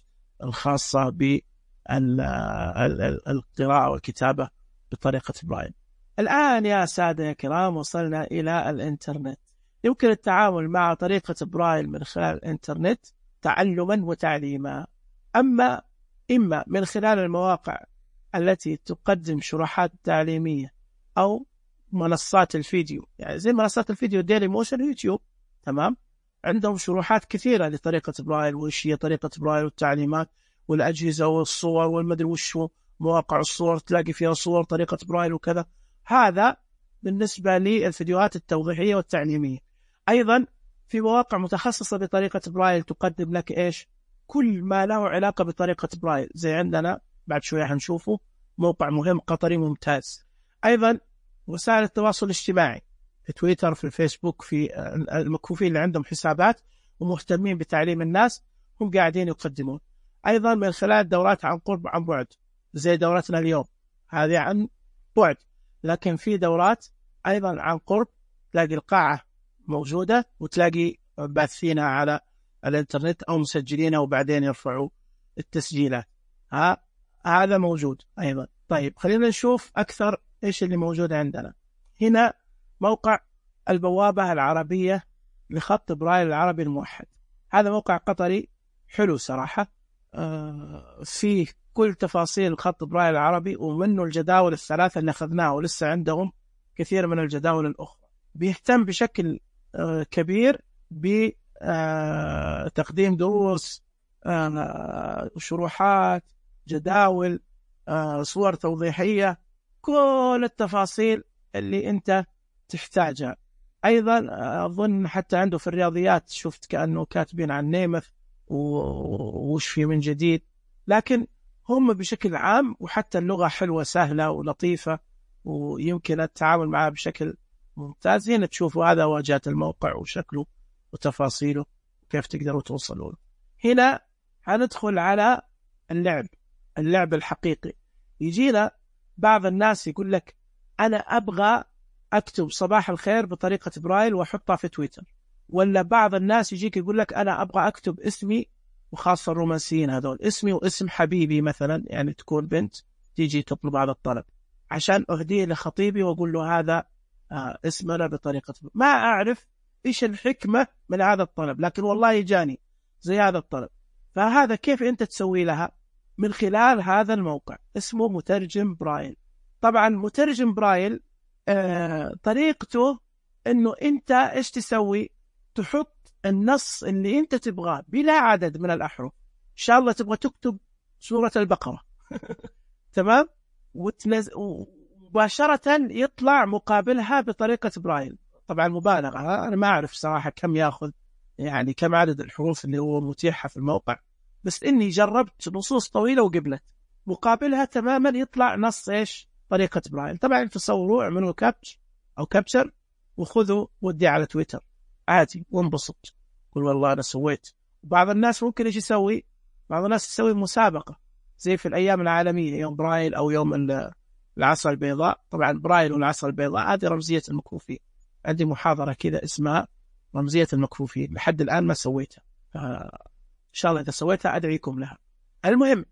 الخاصة بالقراءة والكتابة بطريقة برايل. الآن يا سادة يا كرام وصلنا إلى الإنترنت. يمكن التعامل مع طريقة برايل من خلال الإنترنت تعلما وتعليما، أما إما من خلال المواقع التي تقدم شروحات تعليمية أو منصات الفيديو، يعني زي منصات الفيديو ديلي موشن يوتيوب، تمام، عندهم شروحات كثيرة لطريقة برايل، وإيش هي طريقة برايل والتعليمات والأجهزة والصور والمدري وشو، مواقع الصور تلاقي فيها صور طريقة برايل وكذا. هذا بالنسبة للفيديوهات التوضيحية والتعليمية. أيضا في مواقع متخصصة بطريقة برايل تقدم لك إيش؟ كل ما له علاقة بطريقة برايل، زي عندنا بعد شوية هنشوفه موقع مهم قطري ممتاز. أيضا وسائل التواصل الاجتماعي في تويتر، في الفيسبوك، في المكفوفين اللي عندهم حسابات ومهتمين بتعليم الناس هم قاعدين يقدمون. أيضا من خلال دورات عن قرب عن بعد، زي دورتنا اليوم هذه عن بعد، لكن في دورات أيضا عن قرب، تلاقي القاعة موجودة وتلاقي باثينها على الانترنت أو مسجلينها وبعدين يرفعوا التسجيلات. ها هذا موجود أيضا. طيب خلينا نشوف أكثر إيش اللي موجود عندنا. هنا موقع البوابة العربية لخط برايل العربي الموحد. هذا موقع قطري حلو صراحة، آه فيه كل تفاصيل خط برايل العربي، ومنه الجداول الثلاثة اللي أخذناها، ولسه عندهم كثير من الجداول الأخرى. بيهتم بشكل آه كبير بتقديم دروس، آه شروحات، جداول، آه صور توضيحية، كل التفاصيل اللي أنت تحتاجها. أيضا أظن حتى عنده في الرياضيات شفت كأنه كاتبين عن نيمث ووش في من جديد، لكن هم بشكل عام، وحتى اللغة حلوة سهلة ولطيفة ويمكن التعامل معها بشكل ممتاز. هنا تشوفوا هذا واجهة الموقع وشكله وتفاصيله وكيف تقدروا توصلوا له. هنا هندخل على اللعب اللعب الحقيقي. يجينا بعض الناس يقول لك أنا أبغى أكتب صباح الخير بطريقة برايل وأحطها في تويتر، ولا بعض الناس يجيك يقول لك أنا أبغى أكتب اسمي، وخاصة الرومانسيين هذول، اسمي واسم حبيبي مثلا، يعني تكون بنت تيجي تطلب هذا الطلب عشان أهديه لخطيبي وأقول له هذا آه اسمنا بطريقة برايل. ما أعرف إيش الحكمة من هذا الطلب، لكن والله يجاني زي هذا الطلب. فهذا كيف أنت تسوي لها؟ من خلال هذا الموقع اسمه مترجم برايل. طبعا مترجم برايل آه طريقته انه انت ايش تسوي؟ تحط النص اللي انت تبغاه بلا عدد من الاحرف. ان شاء الله تبغى تكتب سورة البقرة تمام، وتنز... مباشرة يطلع مقابلها بطريقة برايل. طبعا مبالغة، انا ما اعرف صراحة كم ياخذ، يعني كم عدد الحروف اللي هو متيحة في الموقع، بس إني جربت نصوص طويلة وقبلت مقابلها تماما يطلع نص إيش؟ طريقة برايل. طبعا تصوروا، اعملوا كابتش أو كابتشر وخذوا ودي على تويتر عادي وانبسط، قل والله أنا سويت. بعض الناس ممكن إيش يسوي؟ بعض الناس يسوي مسابقة زي في الأيام العالمية، يوم برايل أو يوم العصا البيضاء. طبعا برايل والعصا البيضاء هذه رمزية المكفوفين. عندي محاضرة كذا اسمها رمزية المكفوفين، لحد الآن ما سويتها، إن شاء الله إذا سويتها أدعيكم لها. المهم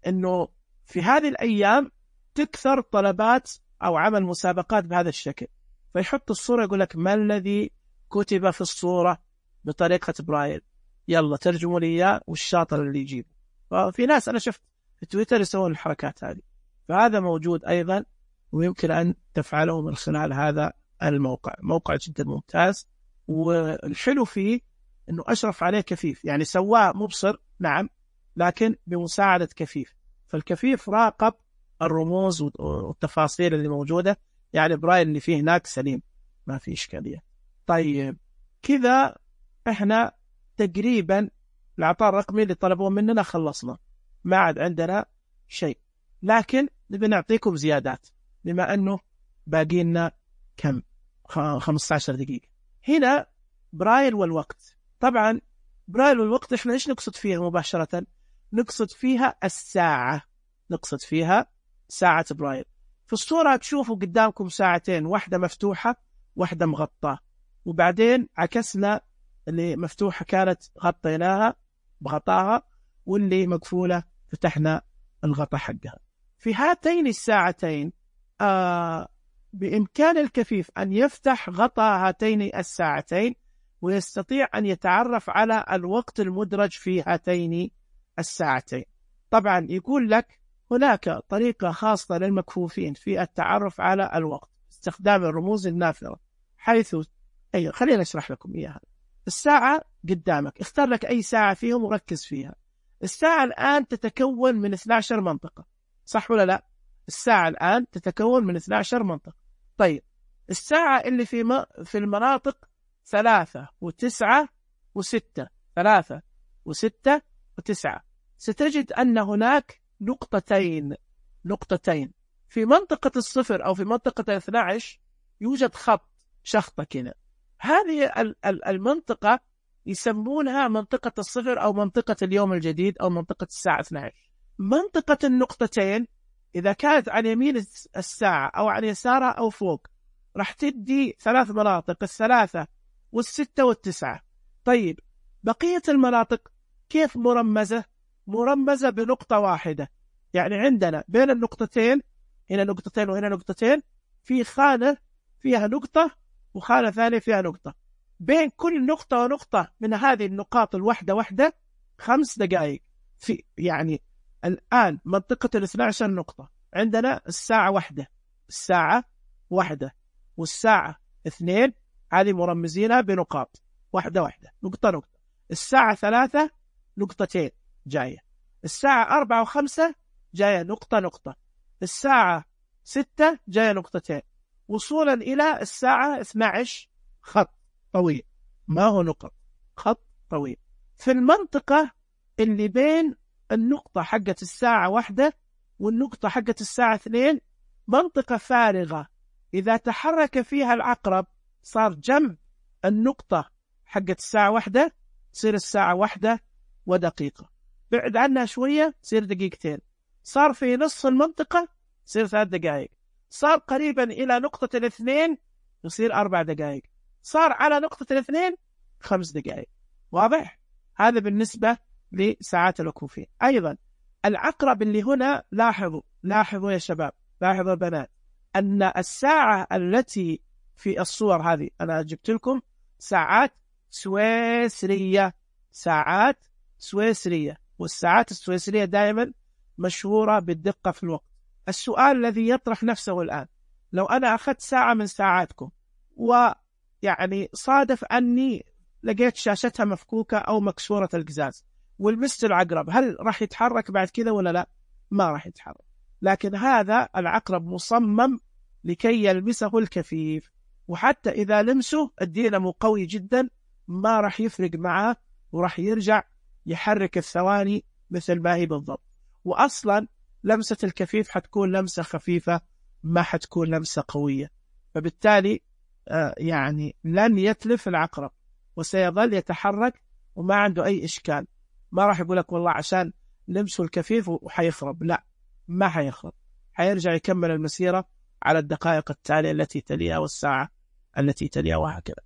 أنه في هذه الأيام تكثر طلبات أو عمل مسابقات بهذا الشكل، فيحط الصورة يقول لك ما الذي كتب في الصورة بطريقة برايل، يلا ترجموا لي إياه والشاطر اللي يجيبه. ففي ناس أنا شفت في تويتر يسوون الحركات هذه، فهذا موجود أيضا ويمكن أن تفعله من خلال هذا الموقع. موقع جدا ممتاز، والحلو فيه أنه أشرف عليه كفيف، يعني سواه مبصر نعم لكن بمساعدة كفيف، فالكفيف راقب الرموز والتفاصيل اللي موجودة يعني برايل اللي فيه هناك سليم، ما في إشكالية. طيب كذا إحنا تقريبا الإعطاء الرقمي اللي طلبوه مننا خلصنا، ما عاد عندنا شيء، لكن نبي نعطيكم زيادات بما أنه باقي لنا كم خمسة عشر دقيقة. هنا برايل والوقت. طبعا برايل والوقت إحنا إيش نقصد فيها مباشرة؟ نقصد فيها الساعة، نقصد فيها ساعة برايل. في الصورة تشوفوا قدامكم ساعتين، واحدة مفتوحة واحدة مغطاة، وبعدين عكسنا اللي مفتوحة كانت غطيناها بغطاها، واللي مقفولة فتحنا الغطاء حقها. في هاتين الساعتين آه بإمكان الكفيف أن يفتح غطاء هاتين الساعتين ويستطيع أن يتعرف على الوقت المدرج في هاتين الساعتين. طبعا يقول لك هناك طريقة خاصة للمكفوفين في التعرف على الوقت استخدام الرموز النافذة، حيث أي خلينا نشرح لكم إياها. الساعة قدامك، اختار لك أي ساعة فيهم وركز فيها. الساعة الآن تتكون من اثنتي عشرة منطقة، صح ولا لا؟ الساعة الآن تتكون من اثنتي عشرة منطقة. طيب الساعة اللي في م... في المناطق ثلاثة وتسعة وستة، ثلاثة وستة وتسعة، ستجد أن هناك نقطتين نقطتين في منطقة الصفر أو في منطقة الاثنى عشر يوجد خط شخطة كذا. هذه المنطقة يسمونها منطقة الصفر أو منطقة اليوم الجديد أو منطقة الساعة اثنتي عشرة. منطقة النقطتين إذا كانت عن يمين الساعة أو عن يسارها أو فوق راح تدي ثلاث مناطق، الثلاثة والستة والتسعة. طيب بقية المناطق كيف مرمزة؟ مرمزة بنقطة واحدة، يعني عندنا بين النقطتين هنا نقطتين وهنا نقطتين في خانة فيها نقطة وخانة ثانية فيها نقطة، بين كل نقطة ونقطة من هذه النقاط الوحدة وحدة خمس دقائق. في يعني الآن منطقة الاثنى عشر نقطة عندنا الساعة واحدة، الساعة واحدة والساعة اثنين، هذه مرمزينها بنقاط واحدة واحدة نقطة نقطة. الساعة ثلاثة نقطتين جاية، الساعة أربعة وخمسة جاية نقطة نقطة، الساعة ستة جاية نقطتين، وصولا إلى الساعة اثنتي عشرة خط طويل، ما هو نقط، خط طويل. في المنطقة اللي بين النقطة حقت الساعة واحدة والنقطة حقت الساعة اثنين منطقة فارغة، إذا تحرك فيها العقرب صار جنب النقطة حقت الساعة واحدة تصير الساعة واحدة ودقيقة، بعد عنها شوية تصير دقيقتين، صار في نصف المنطقة تصير ثلاث دقائق، صار قريبا إلى نقطة الاثنين يصير أربع دقائق، صار على نقطة الاثنين خمس دقائق. واضح؟ هذا بالنسبة لساعات الوقوفين. أيضا العقرب اللي هنا، لاحظوا لاحظوا يا شباب، لاحظوا البنات، أن الساعة التي في الصور هذه أنا جبت لكم ساعات سويسرية، ساعات سويسرية، والساعات السويسرية دائما مشهورة بالدقة في الوقت. السؤال الذي يطرح نفسه الآن، لو أنا أخذت ساعة من ساعاتكم ويعني صادف أني لقيت شاشتها مفكوكة أو مكسورة القزاز والمست العقرب، هل راح يتحرك بعد كذا ولا لا؟ ما راح يتحرك. لكن هذا العقرب مصمم لكي يلمسه الكفيف، وحتى إذا لمسه الدينامو قوي جدا ما راح يفرق معه وراح يرجع يحرك الثواني مثل ما هي بالضبط. وأصلا لمسة الكفيف حتكون لمسة خفيفة، ما حتكون لمسة قوية، فبالتالي آه يعني لن يتلف العقرب وسيظل يتحرك وما عنده أي إشكال. ما راح يقول لك والله عشان لمسه الكفيف وحيخرب، لا، ما حيخرب، حيرجع يكمل المسيرة على الدقائق التالية التي تليها والساعة التي تليها وهكذا.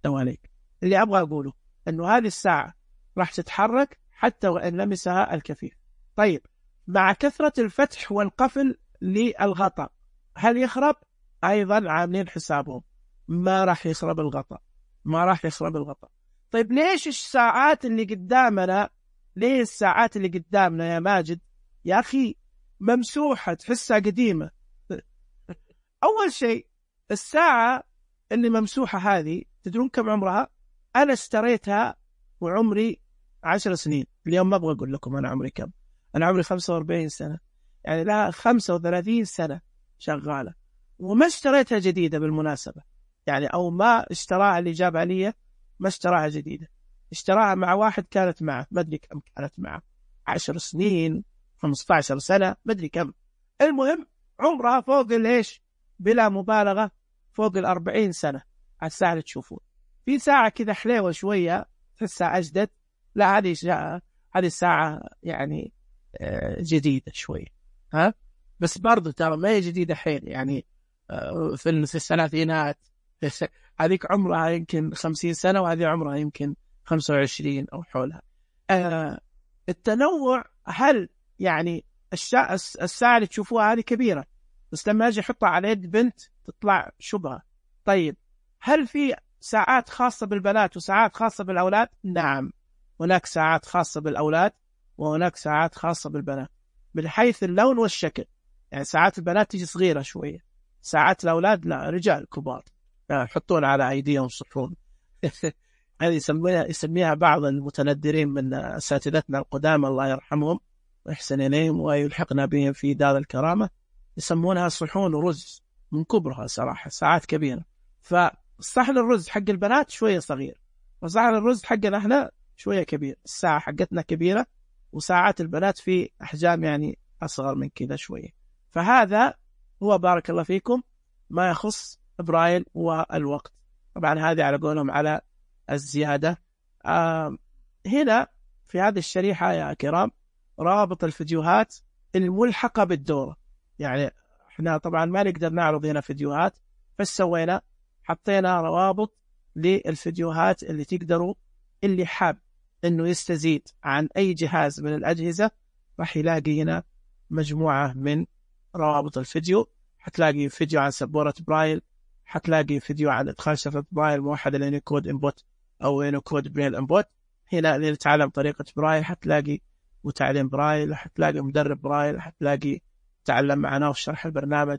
دواليك اللي أبغى أقوله أنه هذه الساعة راح تتحرك حتى وإن لمسها الكفيف. طيب مع كثرة الفتح والقفل للغطاء هل يخرب؟ أيضا عاملين حسابهم، ما راح يخرب الغطاء، ما راح يخرب الغطاء. طيب ليش الساعات اللي قدامنا، ليه الساعات اللي قدامنا يا ماجد يا أخي ممسوحة تحسها قديمة؟ أول شيء الساعة اللي ممسوحة هذه تدرون كم عمرها؟ أنا اشتريتها وعمري عشر سنين، اليوم ما أبغى أقول لكم أنا عمري كم، أنا عمري خمسة وأربعين سنة، يعني لها خمسة وثلاثين سنة شغالة، وما اشتريتها جديدة بالمناسبة، يعني أو ما اشتراها اللي جاب عليا، ما اشتراها جديدة، اشتراها مع واحد كانت معه، ما أدري كم كانت معه، عشر سنين، خمسة عشر سنة، ما أدري كم. المهم عمرها فوق الإيش، بلا مبالغة فوق الأربعين سنة. على الساعة اللي تشوفون في ساعة كذا حليوة شوية تحسها أجدد، لا هذه هذه الساعة يعني جديدة شوية، ها بس برضو ترى ما هي جديدة حيل، يعني في الثلاثينات. هذيك عمرها يمكن خمسين سنة وهذه عمرها يمكن خمسة وعشرين أو حولها. آه التنوع، هل يعني الشا... الساعة اللي تشوفوها هذه كبيرة، بس لما أجي أحطها على يد بنت تطلع شبهة. طيب هل في ساعات خاصة بالبنات وساعات خاصة بالأولاد؟ نعم، هناك ساعات خاصة بالأولاد وهناك ساعات خاصة بالبنات من حيث اللون والشكل. يعني ساعات البنات تيجي صغيرة شوية، ساعات الأولاد لا رجال كبار يحطون على أيديهم صحون. هذه يسميها يسميها بعض المتندرين من أساتذتنا القدامى الله يرحمهم ويحسن إليهم ويلحقنا بهم في دار الكرامة، يسمونها صحون رز من كبرها صراحة، ساعات كبيرة. فصحن الرز حق البنات شوية صغير، وصحن الرز حقنا احنا شوية كبير. الساعة حقتنا كبيرة وساعات البنات في أحجام يعني أصغر من كذا شوية. فهذا هو بارك الله فيكم ما يخص برايل والوقت. طبعا هذه على قولهم على الزيادة. آه هنا في هذه الشريحة يا كرام رابط الفيديوهات الملحقة بالدورة. يعني احنا طبعا ما نقدر نعرض هنا فيديوهات، فايش سوينا؟ حطينا روابط للفيديوهات اللي تقدروا، اللي حاب انه يستزيد عن اي جهاز من الاجهزة راح يلاقي هنا مجموعة من روابط الفيديو. حتلاقي فيديو عن سبورة برايل، حتلاقي فيديو عن ادخال شفرة برايل موحدة لينيكود انبوت او يونيكود بريل انبوت. هنا اللي يتعلم طريقة برايل حتلاقي وتعليم برايل، حتلاقي مدرب برايل، حتلاقي تعلم معنا في شرح البرنامج.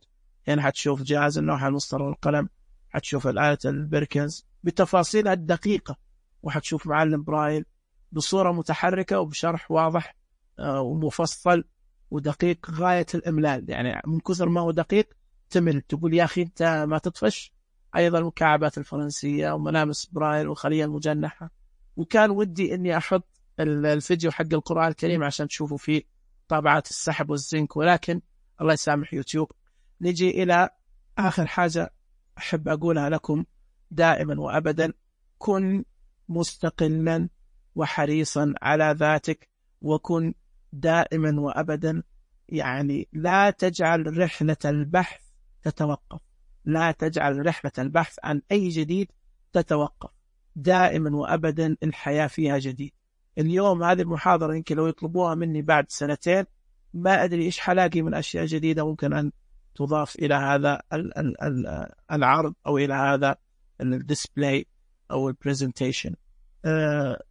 هنا حتشوف جهاز اللوحة المسطرة والقلم، حتشوف الآلة البركنز بتفاصيلها الدقيقة، وحتشوف معلم برايل بصورة متحركة وبشرح واضح ومفصل ودقيق غاية الإملال. يعني من كثر ما هو دقيق تمل، تقول يا أخي أنت ما تطفش. أيضا المكعبات الفرنسية وملامس برايل والخلية المجنحة. وكان ودي أني أحط الفيديو حق القرآن الكريم عشان تشوفوا فيه طابعات السحب والزنك، ولكن الله يسامح يوتيوب. نجي إلى آخر حاجة أحب أقولها لكم دائما وأبدا: كن مستقلا وحريصا على ذاتك، وكن دائما وأبدا يعني لا تجعل رحلة البحث تتوقف، لا تجعل رحلة البحث عن أي جديد تتوقف. دائما وأبدا الحياة فيها جديد. اليوم هذه المحاضرة يمكن لو يطلبوها مني بعد سنتين ما أدري إيش حلاقي من أشياء جديدة ممكن أن تضاف إلى هذا العرض أو إلى هذا الديسبلاي أو البرزنتيشن.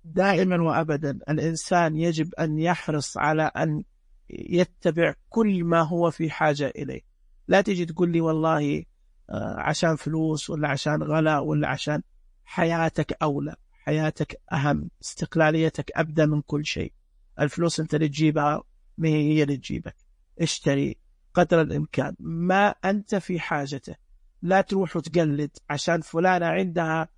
دائما وأبدا الإنسان يجب أن يحرص على أن يتبع كل ما هو في حاجة إليه. لا تجي تقول لي والله عشان فلوس ولا عشان غلاء ولا عشان حياتك أولى، حياتك أهم، استقلاليتك أبدأ من كل شيء. الفلوس أنت اللي تجيبها، ما هي اللي تجيبك. اشتري قدر الإمكان ما أنت في حاجته. لا تروح وتقلد عشان فلانة عندها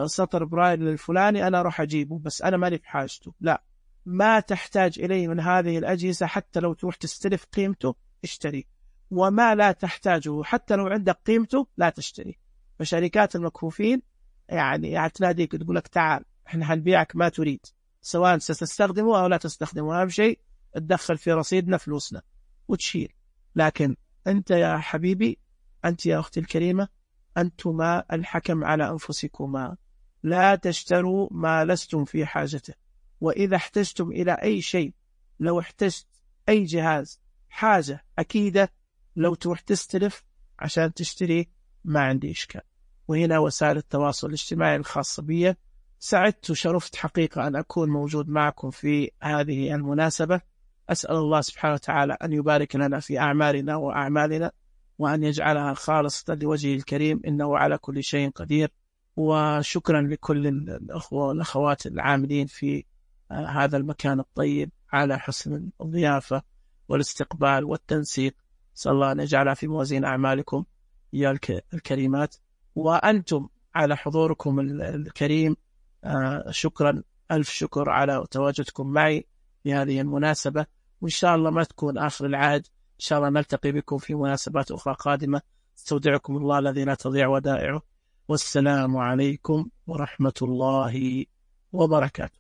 سطر برايل للفلاني أنا أروح أجيبه بس أنا ماني بحاجته. لا، ما تحتاج إليه من هذه الأجهزة حتى لو تروح تستلف قيمته اشتري، وما لا تحتاجه حتى لو عندك قيمته لا تشتري. فشركات المكفوفين يعني تناديك تقول لك تعال احنا هنبيعك ما تريد، سواء ستستخدمه أو لا تستخدمه، أهم شيء تدخل في رصيدنا فلوسنا وتشيل. لكن أنت يا حبيبي، أنت يا أختي الكريمة، أنتما الحكم على أنفسكما. لا تشتروا ما لستم في حاجته. وإذا احتجتم إلى أي شيء، لو احتجت أي جهاز حاجة أكيدة، لو تروح تستلف عشان تشتري ما عندي إشكال. وهنا وسائل التواصل الاجتماعي الخاصة بي. سعدت وشرفت حقيقة أن أكون موجود معكم في هذه المناسبة. أسأل الله سبحانه وتعالى أن يبارك لنا في أعمالنا وأعمالنا، وأن يجعلها خالصة لوجهه الكريم، إنه على كل شيء قدير. وشكرا لكل الأخوة والأخوات العاملين في هذا المكان الطيب على حسن الضيافة والاستقبال والتنسيق. صلى الله أن يجعلها في موازين أعمالكم. يا الكريمات، وأنتم على حضوركم الكريم. شكرا، ألف شكر على تواجدكم معي في هذه المناسبة، وإن شاء الله ما تكون آخر العهد، إن شاء الله نلتقي بكم في مناسبات أخرى قادمة. استودعكم الله الذي لا تضيع ودائعه، والسلام عليكم ورحمة الله وبركاته.